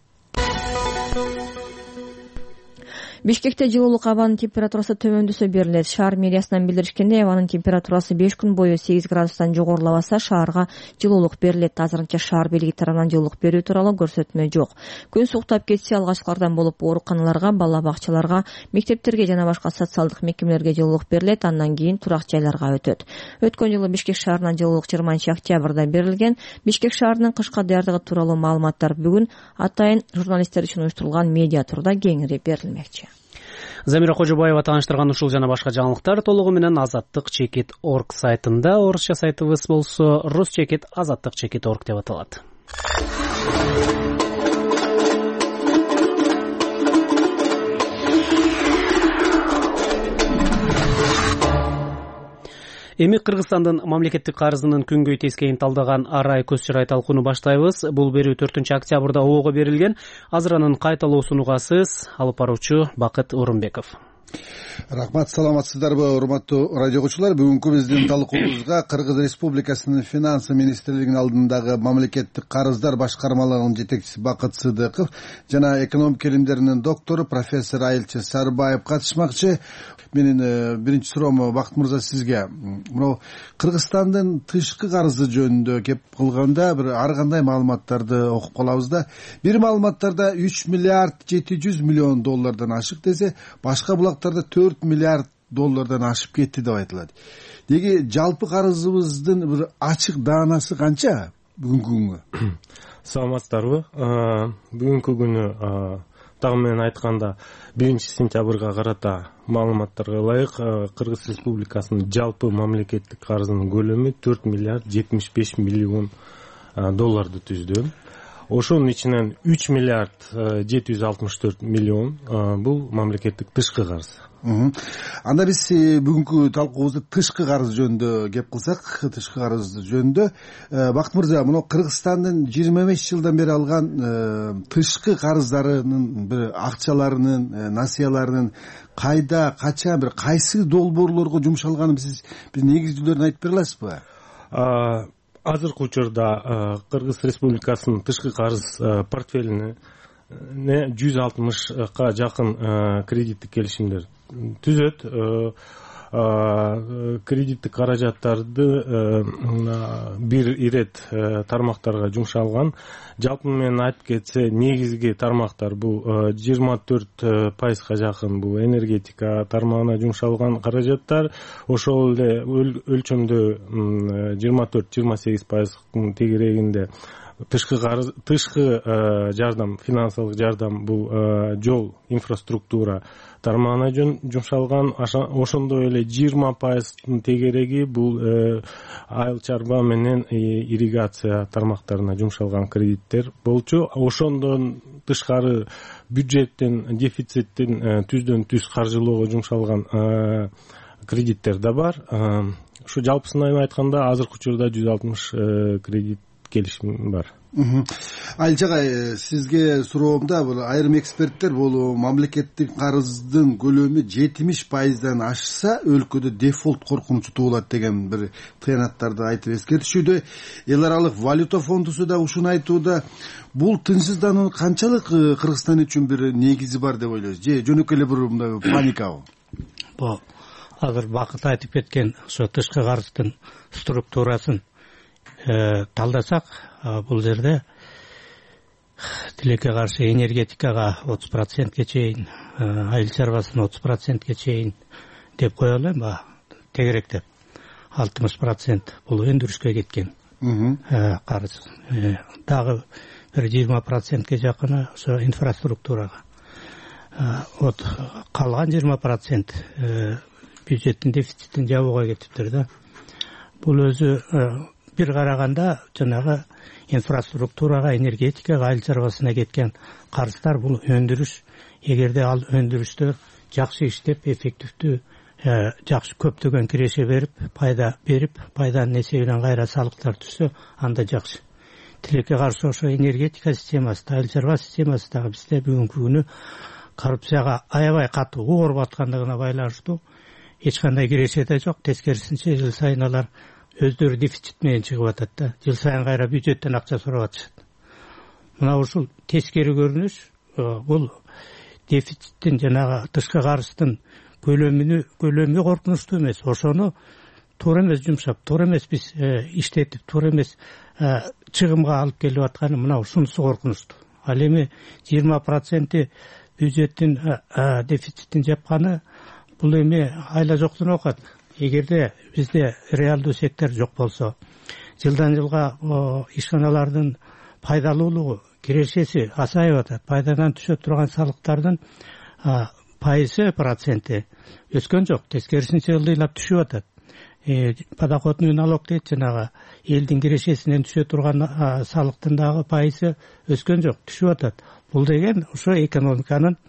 Бишкекте жылуулук абанын температурасы төмөндөсө берилет. Шаар мэриясынан билдиришкендей, абанын температурасы беш күн бою сегиз градустан жогорулабаса, шаарга жылуулук берилет. Азырынча шаар бийлиги тарабынан жылуулук берүү тууралуу көрсөтмө жок. Күн суктап кетсе, алгачкылардан болуп ооруканаларга, бала бакчаларга, мектептерге жана башка социалдык мекемелерге жылуулук берилет, андан кийин турак жайларга өтөт. Өткөн жылы Бишкек шаарынан жылуулук жыйырманчы октябрда берилген. Бишкек шаарынын кышка даярдыгы тууралуу маалыматтар бүгүн атайын журналисттер үчүн уюштурулган медиа турда кеңири берилмекчи. Замира Кожобаева тааныштырган ушул жана башка жаңылыктар толугу менен азаттык чекит точка орг сайтында, орусча сайтыбыз болсо рус чекит азаттык чекит точка орг деп аталат. Эми Кыргызстандын мамлекеттик карызынын күнгөй тескейин талдаган арай көз чырай талкууну баштайбыз. Бул берүү төртүнчү октябрда оого берилген. Азыр анын кайталоосун угасыз. Алып баруучу Бакыт Орунбеков. Рахмат, саламатсыздарбы, урматтуу радио окуучулар. Бүгүнкү биздин талкуубузга Кыргыз Республикасынын финансы министрлигинин алдындагы мамлекеттик карыздар башкармалыгынын жетекчиси Бакыт Сыдыков жана экономика илимдеринин доктору профессор Айылчы Сарбаев катышмакчы. Менин биринчи суроом Бакыт мырза сизге. Мына Кыргызстандын тышкы карызы жөнүндө кеп кылганда бир ар кандай маалыматтарды окуп калабыз да. Бир маалыматтарда үч миллиард жети жүз миллион доллардан ашык десе, башка булактарда төрт миллиард доллардан ашып кетти деп айтылат. Деги жалпы карызыбыздын бир ачык даанасы канча бүгүнкү күнгө? Саламатсыздарбы? Бүгүнкү күнү дагы менен айтканда биринчи сентябрга карата маалыматтарга ылайык Кыргыз Республикасынын жалпы мамлекеттик карызынын көлөмү төрт миллиард жетимиш беш миллион долларды түздү. Ошонун ичинен үч миллиард жети жүз алтымыш төрт миллион бул мамлекеттик тышкы карыз. Анда биз бүгүнкү талкуубузду тышкы карыз жөнүндө кеп кылсак, тышкы карыз жөнүндө Бакыт мырза, мына Кыргызстандын жыйырма беш жылдан бери алган тышкы карыздарынын бир акчаларынын, насыяларынын кайда, качан, бир кайсы долбоорлорго жумшалганын сиз биз негиздүүлөрүн айтып бере аласызбы? Азыркы учурда Кыргыз Республикасынын тышкы карыз портфелине жүз алтымышка жакын кредиттик келишимдер түзөт. Кредиттик каражаттарды бир ирет тармактарга жумшалган. Жалпы менен айтып кетсе, негизги тармактар бул жыйырма төрт пайызга жакын бул энергетика тармагына жумшалган каражаттар. Ошол эле өлчөмдө жыйырма төрт жыйырма сегиз пайыздын тегерегинде тышкы тышкы жардам, финансылык жардам бул жол инфраструктура тармагына жумшалган. Ошондой эле жыйырма пайыздын тегереги бул айыл чарба менен ирригация тармактарына жумшалган кредиттер болчу. Ошондон тышкары бюджеттин дефициттин түздөн түз каржылоого жумшалган кредиттер да бар. Ушу жалпысынан айтканда азыркы учурда жүз алтымыш кредит келишим бар. Айылча агай, сизге суроомда бул айрым эксперттер бул мамлекеттик карыздын көлөмү жетимиш пайыздан ашса өлкөдө дефолт коркунучу туулат деген бир тыянаттарды айтып эскертишүүдө. Эл аралык валюта фондусу да ушуну айтууда. Бул тынчсыздануунун канчалык Кыргызстан үчүн бир негизи бар деп ойлойсуз? Же жөнөкөй эле бир мындай паникабы? Бул азыр Бакыт айтып кеткен ошо тышкы карыздын структурасын талдасак, бул жерде тилекке каршы энергетикага отуз процентке чейин, айыл чарбасына отуз процентке чейин деп коелу эми тегеректеп. алтымыш процент бул өндүрүшкө кеткен карыз. Дагы бир жыйырма процентке жакыны ошо инфраструктурага. Вот калган жыйырма процент бюджеттин дефицитин жабууга кетиптир да. Бул өзү бир караганда жанагы инфраструктурага, энергетикага, айыл чарбасына кеткен карыздар бул өндүрүш. Эгерде ал өндүрүштө жакшы иштеп, эффективдүү, жакшы көптөгөн киреше берип, пайда берип, пайданын эсебинен кайра салыктар түшсө, анда жакшы. Тилекке каршы ошо энергетика системасы, айыл чарба системасы дагы бизде бүгүнкү күнү коррупцияга аябай катуу ооруп аткандыгына байланыштуу эч кандай киреше да жок. Тескерисинче жыл сайын алар өздөрү дефицит менен чыгып атат да. Жыл сайын кайра бюджеттен акча сурап атышат. Мына ушул тескери көрүнүш, бул дефициттин жанагы тышкы карыздын көлөмүнү көлөмү коркунучтуу эмес. Ошону туура эмес жумшап, туура эмес биз иштетип, туура эмес чыгымга алып келип атканы мына ушунусу коркунучтуу. Ал эми жыйырма проценти бюджеттин дефицитин жапканы бул эми айла жоктон окат. Эгерде бизде реалдуу сектор жок болсо, жылдан жылга ишканалардын пайдалуулугу, кирешеси азайып атат. Пайдадан түшө турган салыктардын пайызы, проценти өскөн жок. Тескерисинче ылдыйлап түшүп атат. Подоходный налог дейт, жанагы элдин кирешесинен түшө турган салыктын дагы пайызы өскөн жок, түшүп атат. Бул деген ошо экономиканын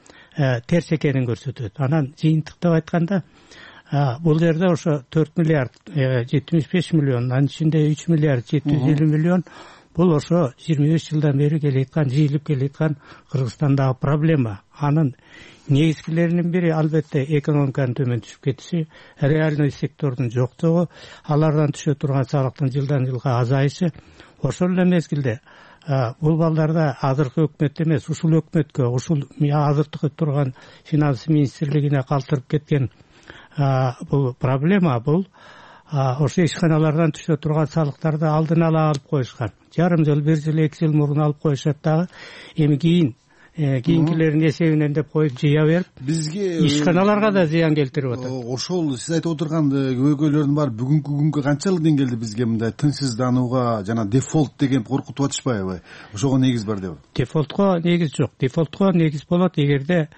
терс экенин көрсөтөт. Анан жыйынтыктап айтканда, бул жерде ошо төрт миллиард жетимиш беш миллион, анын ичинде үч миллиард жети жүз элүү миллион бул ошо жыйырма беш жылдан бери келеаткан, жыйылып келеаткан Кыргызстандагы проблема. Анын негизгилеринин бири албетте экономиканын төмөн түшүп кетиши, реальный сектордун жоктугу, алардан түшө турган салыктын жылдан жылга азайышы. Ошол эле мезгилде бул балдарда азыркы өкмөт эмес, ушул өкмөткө, ушул азыркы турган финанс министрлигине калтырып кеткен бул проблема, бул ошо ишканалардан түшө турган салыктарды алдын ала алып коюшкан. Жарым жыл, бир жыл, эки жыл мурун алып коюшат дагы. Эми кийин кийинкилердин эсебинен деп коюп жыя берип, бизге ишканаларга да зыян келтирип атат. Ошол сиз айтып отурган көйгөйлөрдүн баары бүгүнкү күнгө канчалык деңгээлде бизге мындай тынчсызданууга жана дефолт деген коркутуп атышпайбы? Ошого негиз бар деп. Дефолтко негиз жок. Дефолтко негиз болот эгерде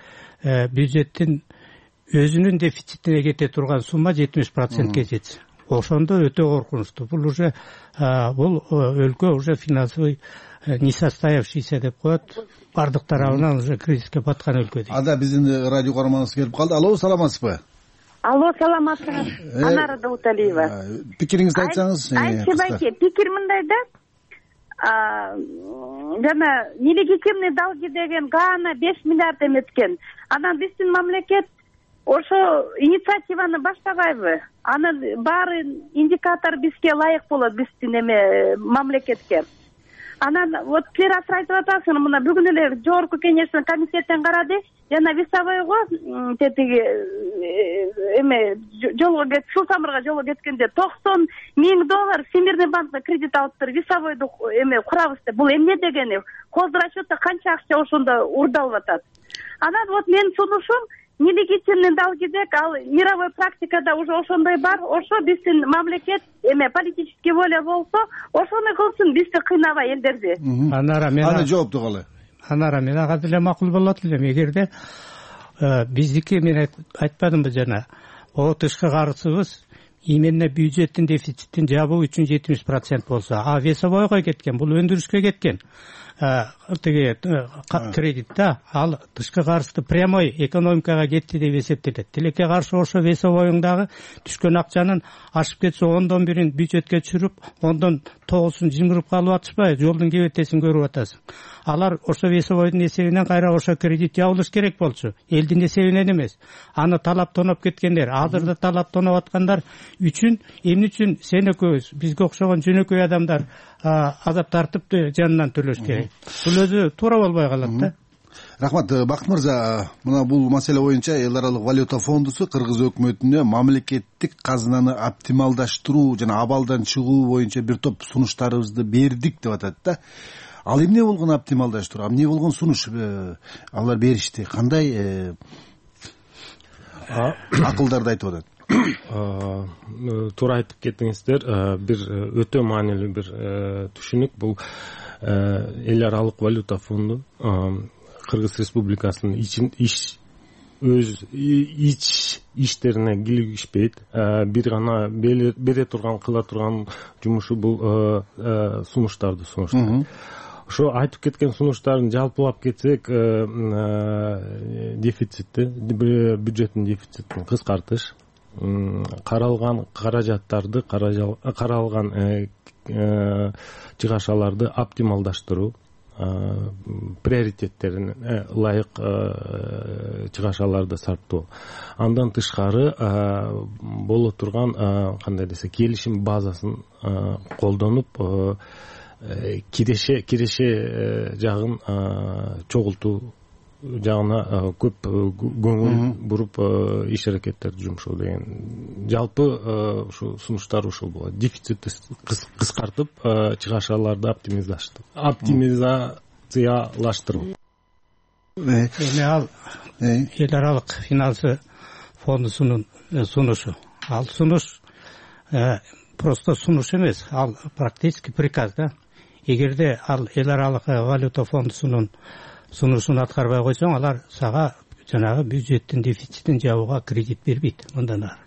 бюджеттин өзүнүн дефицитине кете турган сумма жетимиш процентке жетсе. Ошондо өтө коркунучтуу. Бул уже бул өлкө уже финансовый несостоявшийся деп коет. Бардык тарабынан уже кризиске баткан өлкө дейт. Ада биздин радио каарманыбыз келип калды. Алло, саламатсызбы? Алло, саламатсыңыз. Анара Дауталиева. Пикириңизди айтсаңыз. Айтчы байке, пикир мындай да. Жана нелегитимный долги деген Гаана беш миллиард эметкен. Анан биздин мамлекет ошо инициативаны баштабайбы? Анын баары индикатор бизге ылайык болот, биздин эме мамлекетке. Анан вот силер азыр айтып атасыңар, мына бүгүн эле жогорку кеңештин комитеттен карады, жана весовойго тетиги эме жолго кет, суу тамырга жолго кеткенде токсон миң доллар Всемирный банкка кредит алыптыр, весовойду эме курабыз деп. Бул эмне дегени? Хозрасчетто канча акча ошондо урдалып атат. Анан вот менин сунушум, нелегитимный долги деп ал мировой практикада уже ошондой бар. Ошо биздин мамлекет эме политический воля болсо ошону кылсын, бизди кыйнабай элдерди. Анара мен аны жоопту калай? Анара мен ага деле макул болот элем. Эгерде биздики мен айтпадымбы жана, о тышкы карызыбыз именно бюджеттин дефицитин жабуу үчүн жетимиш процент болсо, а весовойго кеткен, бул өндүрүшкө кеткен тиги кредит да, ал тышкы карызды прямой экономикага кетти деп эсептелет. Тилекке каршы ошо весовойуң дагы түшкөн акчанын ашып кетсе ондон бирин бюджетке түшүрүп, ондон тогузун жымырып калып атышпайбы, жолдун кебетесин көрүп атасың. Алар ошо весовойдун эсебинен кайра ошо кредит жабылыш керек болчу, элдин эсебинен эмес. Аны талап тоноп кеткендер, азыр да талап тоноп аткандар үчүн эмне үчүн сен экөөбүз, бизге окшогон жөнөкөй адамдар азап тартып жанынан төлөш керек. Бул өзү туура болбой калат да. Рахмат, Бакыт мырза, мына бул маселе боюнча Эл аралык валюта фондусу Кыргыз өкмөтүнө мамлекеттик казынаны оптималдаштыруу жана абалдан чыгуу боюнча бир топ сунуштарыбызды бердик деп атат да. Ал эмне болгон оптималдаштыруу, эмне болгон сунуш алар беришти? Кандай акылдарды айтып атат? Туура айтып кеттиңиздер. Бир өтө маанилүү бир түшүнүк. Бул эл аралык валюта фонду Кыргыз Республикасынын иш өз ич иштерине кийлигишпейт. Бир гана бере турган, кыла турган жумушу бул сунуштарды сунуштайт. Ошо айтып кеткен сунуштарын жалпылап кетсек, дефицитти, бюджеттин дефицитин кыскартыш, каралган каражаттарды, каралган чыгашаларды оптималдаштыруу, приоритеттерине ылайык чыгашаларды сарптоо. Андан тышкары боло турган кандай десе келишим базасын колдонуп киреше киреше жагын чогултуу жагына көп көңүл буруп иш аракеттерди жумшоо деген жалпы ушу сунуштар ушул болот. Дефицитти кыскартып, чыгашаларды оптимизаштыруу, оптимизациялаштыруу. Эми ал эл аралык финансы фондусунун сунушу. Ал сунуш просто сунуш эмес, ал практически приказ да. Эгерде ал эл аралык валюта фондусунун сунушун аткарбай койсоң, алар сага жанагы бюджеттин дефицитин жабууга кредит бербейт. Мындан ары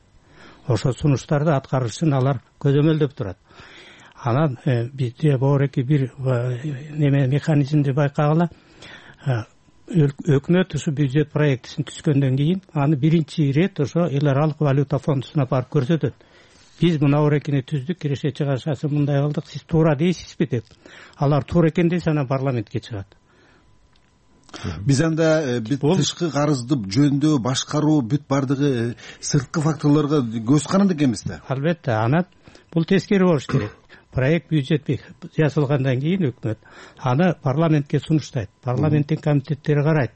ошо сунуштарды аткарышын алар көзөмөлдөп турат. Анан бизде боореки бир неме механизмди байкагыла, өкмөт ушу бюджет проектисин түзгөндөн кийин аны биринчи ирет ошо эл аралык валюта фондусуна барып көрсөтөт. Биз мына орекини түздүк, киреше чыгашасы мындай кылдык, сиз туура дейсизби деп. Алар туура экен десе анан парламентке чыгат. Биз анда бүт тышкы карызды жөндөө, башкаруу, бүт бардыгы сырткы факторлорго көз каранды экенбиз да. Албетте, анан бул тескери болуш керек. Проект бюджет жасалгандан кийин өкмөт аны парламентке сунуштайт. Парламенттин комитеттери карайт.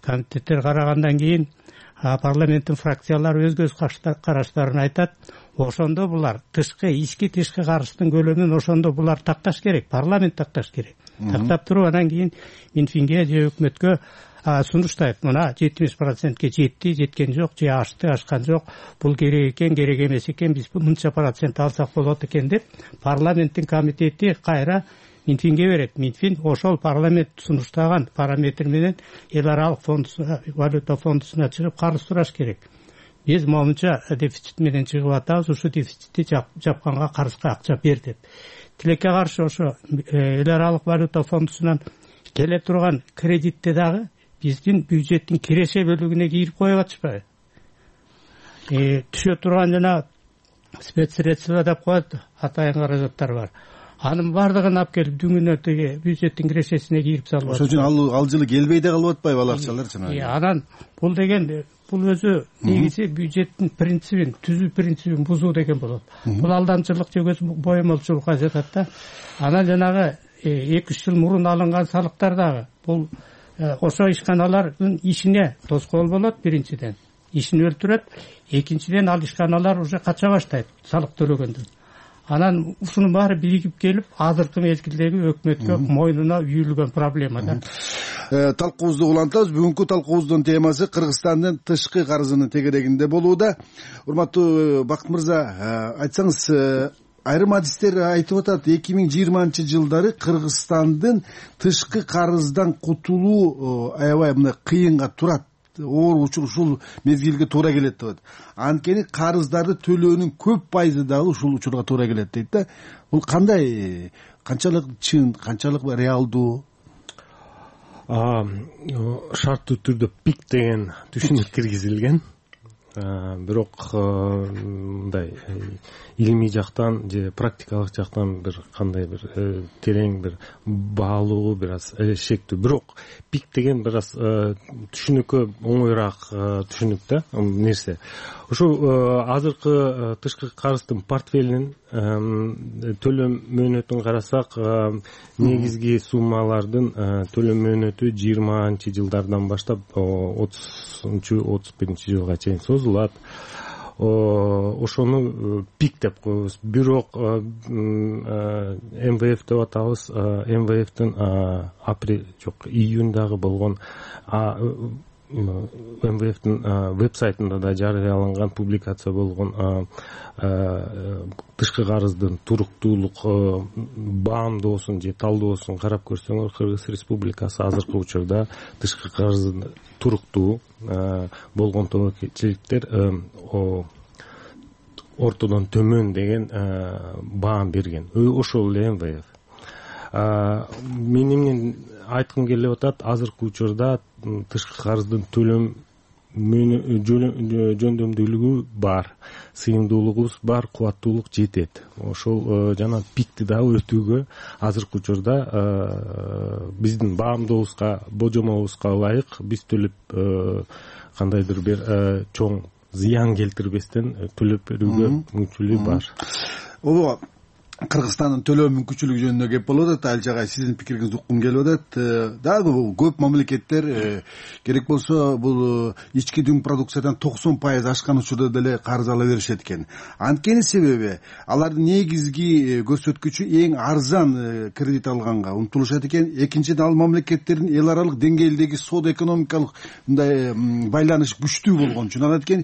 Комитеттер карагандан кийин парламенттин фракциялары өз көз караштарын айтат. Ошондо булар тышкы, ички тышкы карыздын көлөмүн ошондо булар такташ керек, парламент такташ керек. Тактап туруп анан кийин Минфинге же өкмөткө сунуштайт. Мына жетимиш процентке жетти, жеткен жок, же ашты, ашкан жок. Бул керек экен, керек эмес экен, биз мынча процент алсак болот экен деп парламенттин комитети кайра Минфинге берет. Минфин ошол парламент сунуштаган параметр менен эл аралык фондусуна, валюта фондусуна чыгып карыз сураш керек. Биз момунча дефицит менен чыгып атабыз, ушу дефицитти жапканга карызга акча бер деп. Тилекке каршы ошо эл аралык валюта фондусунан келе турган кредитти дагы биздин бюджеттин киреше бөлүгүнө кийип коюп атышпайбы? Түшө турган жана спецсредства деп коет, атайын каражаттар бар. Анын бардыгын алып келип дүңүнө тиги бюджеттин кирешесине кийип салып атат. Ошон үчүн ал ал жылы келбей да калып атпайбы ал акчалар жанагы? Анан бул деген бул өзү негизи бюджеттин принцибин, түзүү принцибин бузуу деген болот. Бул алдамчылык же көз боемолчулукка жатат да. Анан жанагы эки үч жыл мурун алынган салыктар дагы бул ошо ишканалардын ишине тоскоол болот биринчиден. Ишин өлтүрөт, экинчиден ал ишканалар уже кача баштайт салык төлөгөндөн. анан ушунун баары биригип келип азыркы мезгилдеги өкмөткө мойнуна үйүлгөн проблема да. Талкуубузду улантабыз. Бүгүнкү талкуубуздун темасы Кыргызстандын тышкы карызынын тегерегинде болууда. Урматтуу Бакыт мырза, айтсаңыз, айрым адистер айтып атат, эки миң жыйырманчы жылдары Кыргызстандын тышкы карыздан кутулуу аябай мындай кыйынга турат, оор учур ушул мезгилге туура келет деп атат. Анткени карыздарды төлөөнүн көп пайызы дагы ушул учурга туура келет дейт да. Бул кандай, канчалык чын, канчалык реалдуу? Шарттуу түрдө пик деген түшүнүк киргизилген. Бирок мындай илимий жактан же практикалык жактан бир кандай бир терең бир баалуу бир аз шектүү. Бирок пик деген бир аз түшүнүккө оңоюраак түшүнүк да нерсе. Ошо азыркы тышкы карыздын портфелинин төлөм мөөнөтүн карасак, негизги суммалардын төлөм мөөнөтү жыйырманчы жылдардан баштап отузунчу отуз биринчи жылга чейин созулат. Ошону пик деп коебуз. Бирок эм вэ эф деп атабыз. эм вэ эфтин апрель жок июндагы болгон эм вэ эфтин вебсайтында да жарыяланган публикация болгон тышкы карыздын туруктуулук баамдоосун же талдоосун карап көрсөңөр, Кыргыз Республикасы азыркы учурда тышкы карыздын туруктуу болгон тобокелчиликтер ортодон төмөн деген баам берген. Ошол эле эм вэ эф. Менин айткым келип атат, азыркы учурда тышкы карыздын төлөм жөндөмдүүлүгү бар, сыйымдуулугубуз бар, кубаттуулук жетет. Ошол жана пикти дагы өтүүгө азыркы учурда биздин баамдообузга, божомобузга ылайык биз төлөп кандайдыр бир чоң зыян келтирбестен төлөп берүүгө мүмкүнчүлүгү бар. Ооба, Кыргызстандын төлөө мүмкүнчүлүгү жөнүндө кеп болуп атат. Ал жагы сиздин пикириңизди уккум келип атат. Дагы көп мамлекеттер керек болсо бул ички дүң продукциядан токсон пайыз ашкан учурда деле карыз ала беришет экен. Анткени себеби алардын негизги көрсөткүчү эң арзан кредит алганга умтулушат экен. Экинчиден, ал мамлекеттердин эл аралык деңгээлдеги соода экономикалык мындай байланыш күчтүү болгон үчүн алат экен.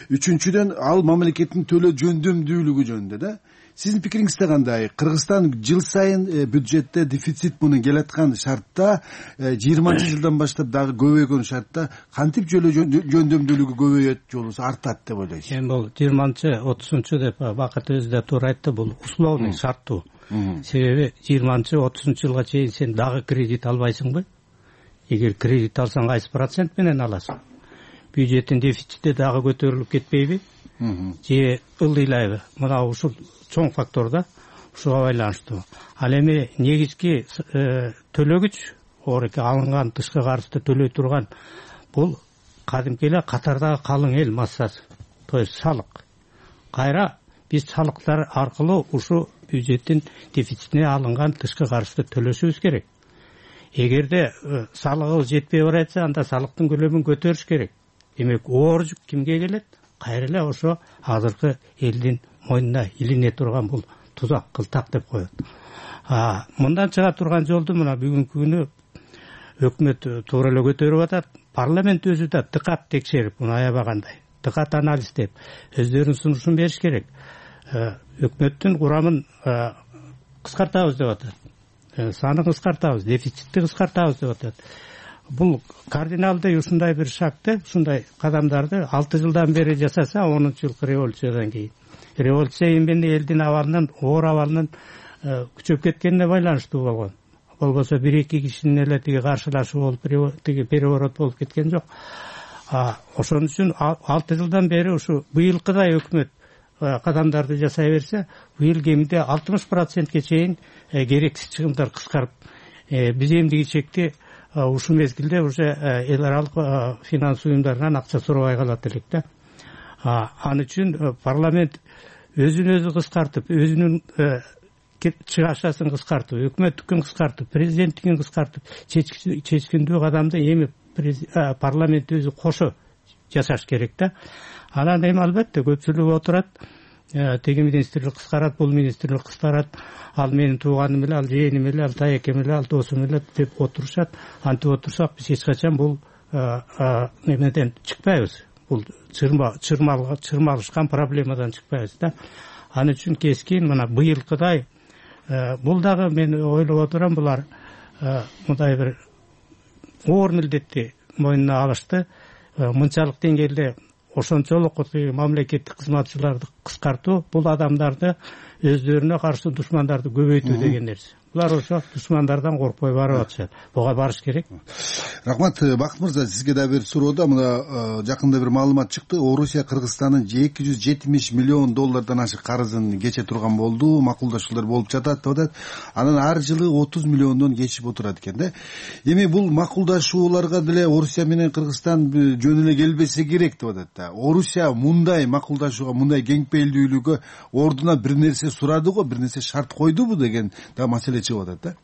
Үчүнчүдөн, ал мамлекеттин төлөө жөндөмдүүлүгү жөнүндө да. Сиздин пикириңизде кандай? Кыргызстан жыл сайын бюджетте дефицит менен келаткан шартта, жыйырманчы жылдан баштап дагы көбөйгөн шартта кантип жөндөмдүүлүгү көбөйөт, же болбосо артат деп ойлойсуз? Эми бул жыйырманчы отузунчу деп Бакыт өзү да туура айтты, бул условный шарттуу. Себеби жыйырманчы отузунчу жылга чейин сен дагы кредит албайсыңбы? Эгер кредит алсаң кайсы процент менен аласың? Бюджеттин дефицити дагы көтөрүлүп кетпейби? Же ылдыйлайбы? Мына ушул чоң фактор да, ушуга байланыштуу. Ал эми негизги төлөгүч, оореке алынган тышкы карызды төлөй турган бул кадимки эле катардагы калың эл массасы, то есть салык. Кайра биз салыктар аркылуу ушу бюджеттин дефицитине алынган тышкы карызды төлөшүбүз керек. Эгерде салыгыбыз жетпей баратса, анда салыктын көлөмүн көтөрүш керек. Демек, оор жүк кимге келет? Кайра эле ошо азыркы элдин мойнуна илине турган бул тузак, кылтак деп коет. Мындан чыга турган жолду мына бүгүнкү күнү өкмөт туура эле көтөрүп атат. Парламент өзү да дыкат текшерип, муну аябагандай, дыкат анализдеп, өздөрүнүн сунушун бериш керек. Өкмөттүн курамын кыскартабыз деп атат. Санын кыскартабыз, дефицитти кыскартабыз деп атат. Бул кардиналдуу ушундай бир шагты, ушундай кадамдарды алты жылдан бери жасаса, онунчу жылкы революциядан кийин. Революция эмне элдин абалынын, оор абалынын күчөп кеткенине байланыштуу болгон. Болбосо бир эки кишинин эле тиги каршылашуу болуп, тиги переворот болуп кеткен жок. Ошон үчүн алты жылдан бери ушу быйылкыдай өкмөт кадамдарды жасай берсе, быйыл кеминде алтымыш процентке чейин керексиз чыгымдар кыскарып, биз эмдиги чекти ушу мезгилде уже эл аралык финанс уюмдарынан акча сурабай калат элек да. Ал үчүн парламент өзүн өзү кыскартып, өзүнүн чыгашасын кыскартып, өкмөттүкүн кыскартып, президенттикин кыскартып, чечкиндүү кадамды эми парламент өзү кошо жасаш керек да. Анан эми албетте көпчүлүк отурат, тиги министрлик кыскарат, бул министрлик кыскарат, ал менин тууганым эле, ал жээним эле, ал таекем эле, ал досум эле деп отурушат. Антип отурсак биз эч качан бул немеден чыкпайбыз. Бул чырмалышкан проблемадан чыкпайбыз да. Ал үчүн кескин мына быйылкыдай бул дагы мен ойлоп отурам, булар мындай бир оор милдетти мойнуна алышты. Мынчалык деңгээлде ошончолук мамлекеттик кызматчыларды кыскартуу, бул адамдарды өздөрүнө каршы душмандарды көбөйтүү деген нерсе. Булар ошо душмандардан коркпой барып атышат. Буга барыш керек. Рахмат. Бакыт мырза, сизге да бир суроо да. Мына жакында бир маалымат чыкты. Орусия Кыргызстандын эки жүз жетимиш миллион доллардан ашык карызын кече турган болду, макулдашуулар болуп жатат деп атат. Анан ар жылы отуз миллиондон кечип отурат экен да. Эми бул макулдашууларга деле Орусия менен Кыргызстан жөн эле келбесе керек деп атат да. Орусия мындай макулдашууга, мындай кеңпейилдүүлүккө ордуна бир нерсе сурады го, бир нерсе шарт койдубу деген да маселе чыгып атат да.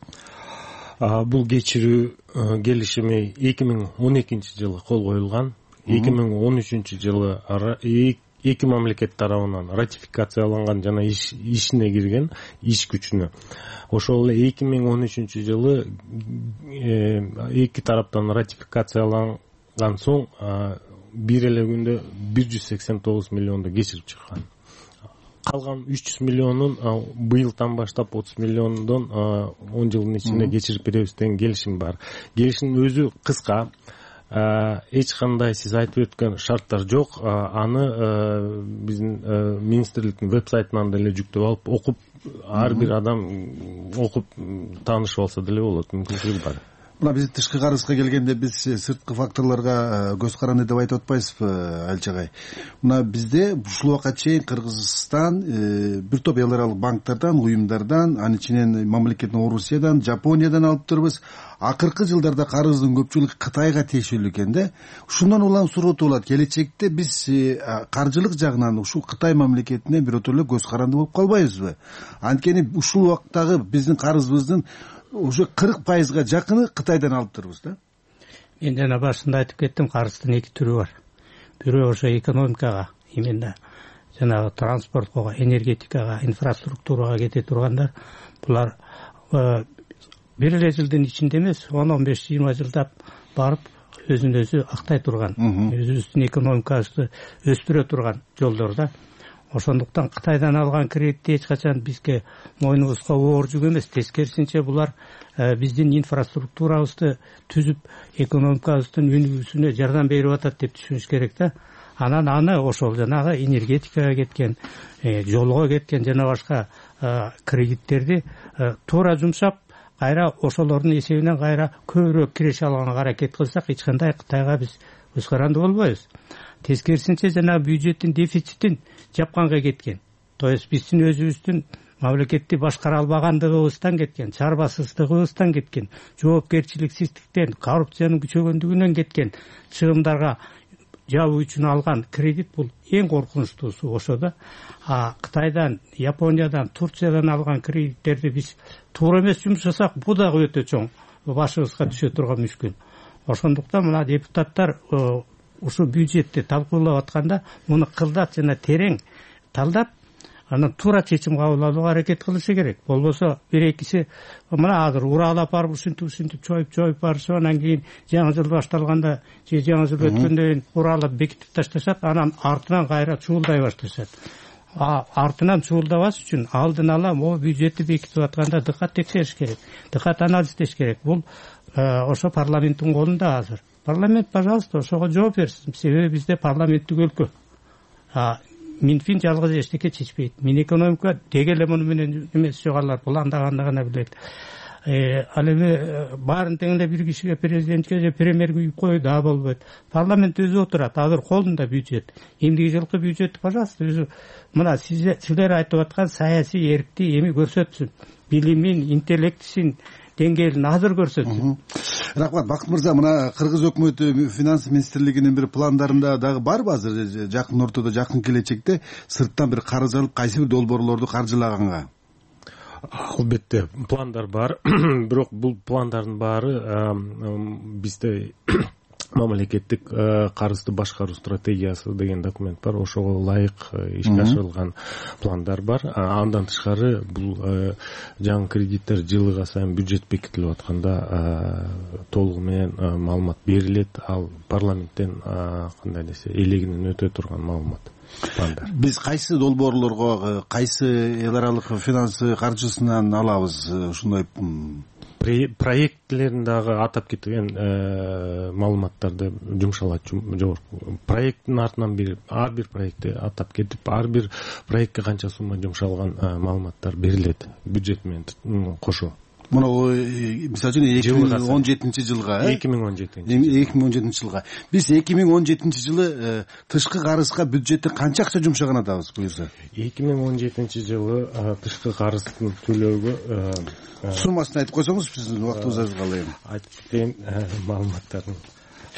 Бул кечирүү келишими эки миң он экинчи жылы кол коюлган. эки миң он үчүнчү жылы эки мамлекет тарабынан ратификацияланган жана ишине кирген, иш күчүнө. Ошол эле эки миң он үчүнчү жылы эки тараптан ратификацияланган соң бир эле күндө бир жүз сексен тогуз миллионду кечирип чыккан. Калган үч жүз миллионун быйылдан баштап отуз миллиондон он жылдын ичинде кечирип беребиз деген келишим бар. Келишимдин өзү кыска, эч кандай сиз айтып өткөн шарттар жок. Аны биздин министрликтин веб-сайтынан деле жүктөп алып, окуп, ар бир адам окуп таанышып алса деле болот, мүмкүнчүлүгү бар. Мына биз тышкы карызга келгенде биз сырткы факторлорго көз каранды деп айтып атпайсызбы, Алчагай? Мына бизде ушул убакка чейин Кыргызстан бир топ эл аралык банктардан, уюмдардан, анын ичинен мамлекеттин Орусиядан, Жапониядан алып турбуз. Акыркы жылдарда карыздын көпчүлүгү Кытайга тиешелүү экен да. Ушундан улам суроо болот. Келечекте биз каржылык жагынан ушул Кытай мамлекетине бирото эле көз каранды болуп калбайбызбы? Анткени ушул убактагы биздин карызыбыздын уже кырк пайызга жакыны Кытайдан алып турбуз да. Мен жана башында айтып кеттим, карыздын эки түрү бар. Бирөө ошо экономикага, именно жанагы транспортко, энергетикага, инфраструктурага кете тургандар. Булар бир эле жылдын ичинде эмес, он он беш жыйырма жылдап барып өзүн өзү актай турган, өзүбүздүн экономикабызды өстүрө турган жолдор да. Ошондуктан Кытайдан алган кредитти эч качан бизге мойнубузга оор жүк эмес. Тескерисинче булар биздин инфраструктурабызды түзүп, экономикабыздын өнүгүүсүнө жардам берип атат деп түшүнүш керек да. Анан аны ошол жанагы энергетикага кеткен, жолго кеткен жана башка кредиттерди туура жумшап, кайра ошолордун эсебинен кайра көбүрөөк киреше алганга аракет кылсак, эч кандай Кытайга биз көз каранды болбойбуз. Тескерисинче жанагы бюджеттин дефицитин жапканга кеткен. То есть биздин өзүбүздүн мамлекетти башкара албагандыгыбыздан кеткен, чарбасыздыгыбыздан кеткен, жоопкерчиликсиздиктен, коррупциянын күчөгөндүгүнөн кеткен чыгымдарга жабуу үчүн алган кредит бул эң коркунучтуусу ошо да. А Кытайдан, Япониядан, Турциядан алган кредиттерди биз туура эмес жумшасак, бул дагы өтө чоң башыбызга түшө турган мүшкүл. Ошондуктан мына депутаттар ушу бюджетти талкуулап атканда муну кылдат жана терең талдап, анан туура чечим кабыл алууга аракет кылышы керек. Болбосо бир экиси мына азыр уралап барып ушинтип ушинтип чоюп чоюп барышып, анан кийин жаңы жыл башталганда же жаңы жыл өткөндөн кийин уралап бекитип ташташат, анан артынан кайра чуулдай башташат. Артынан чуулдабаш үчүн алдын ала могу бюджетти бекитип атканда дыкат текшериш керек, дыкат анализдеш керек. Бул ошо парламенттин колунда азыр. Парламент, пожалуйста, ошого жооп берсин. Себеби бизде парламенттик өлкө. Минфин жалгыз эчтеке чечпейт. Минэкономика деги эле муну менен эмес жогалар, бул андаганы гана билет. Ал эми баарын тең эле бир кишиге, президентке же премьерге үйүп коюу да болбойт. Парламент өзү отурат, азыр колунда бюджет. Эмдиги жылкы бюджетти, пожалуйста, өзү мына силер айтып аткан саясий эркти эми көрсөтсүн. Билимин, интеллектисин деңгээлин азыр көрсөтсүн. Рахмат. Бакыт мырза, мына Кыргыз өкмөтү финанс министрлигинин бир пландарында дагы барбы азыр жакын ортодо, жакын келечекте сырттан бир карыз алып кайсы бир долбоорлорду каржылаганга? Албетте пландар бар. Бирок бул пландардын баары бизде мамлекеттик карызды башкаруу стратегиясы деген документ бар. Ошого ылайык ишке ашырылган пландар бар. Андан тышкары бул жаңы кредиттер жылыга сайын бюджет бекитилип атканда толугу менен маалымат берилет. Ал парламенттен кандай десе элегинен өтө турган маалымат. Биз кайсы долбоорлорго, кайсы эл аралык финанс каржысынан алабыз ушундай проектлерин дагы атап кеткен маалыматтарды жумшалат. Жогорку проекттин артынан бир ар бир проектти атап кетип, ар бир проектке канча сумма жумшалган маалыматтар берилет бюджет менен кошо. Мына мисалы үчүн эки миң он жетинчи жылга эки миң он жетинчи эки миң он жетинчи жылга биз эки миң он жетинчи жылы тышкы карызга бюджеттен канча акча жумшаган атабыз буюрса? эки миң он жетинчи жылы тышкы карыздын төлөөгө суммасын айтып койсоңуз биздин убактыбыз аз калды. Айтып кетейин маалыматтарын.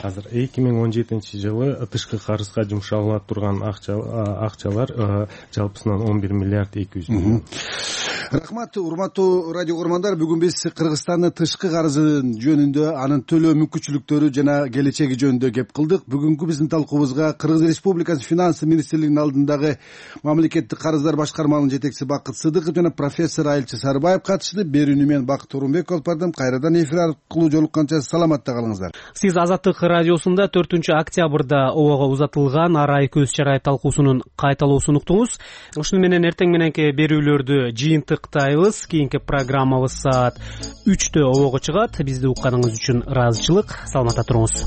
Азыр эки миң он жетинчи жылы тышкы карызга жумшала турган акчалар жалпысынан он бир миллиард эки жүз миллион. Рахмат, урматтуу радио көрөрмандар. Бүгүн биз Кыргызстандын тышкы карызы жөнүндө, анын төлөө мүмкүнчүлүктөрү жана келечеги жөнүндө кеп кылдык. Бүгүнкү биздин талкуубузга Кыргыз Республикасынын финанс министрлигинин алдындагы мамлекеттик карыздар башкармалыгынын жетекчиси Бакыт Сыдыков жана профессор Айылчы Сарыбаев катышты. Берүүнү мен Бакыт Орунбеков алып бардым. Кайрадан эфир аркылуу жолукканча саламатта калыңыздар. Сиз Азаттык радиосунда төртүнчү октябрда обого узатылган арай көз чарай талкуусунун кайталоосун уктуңуз. Ушуну менен эртең мененки берүүлөрдү жыйынтыктайбыз. Кийинки программабыз саат үчтө обого чыгат. Бизди укканыңыз үчүн ыраазычылык. Саламатта туруңуз.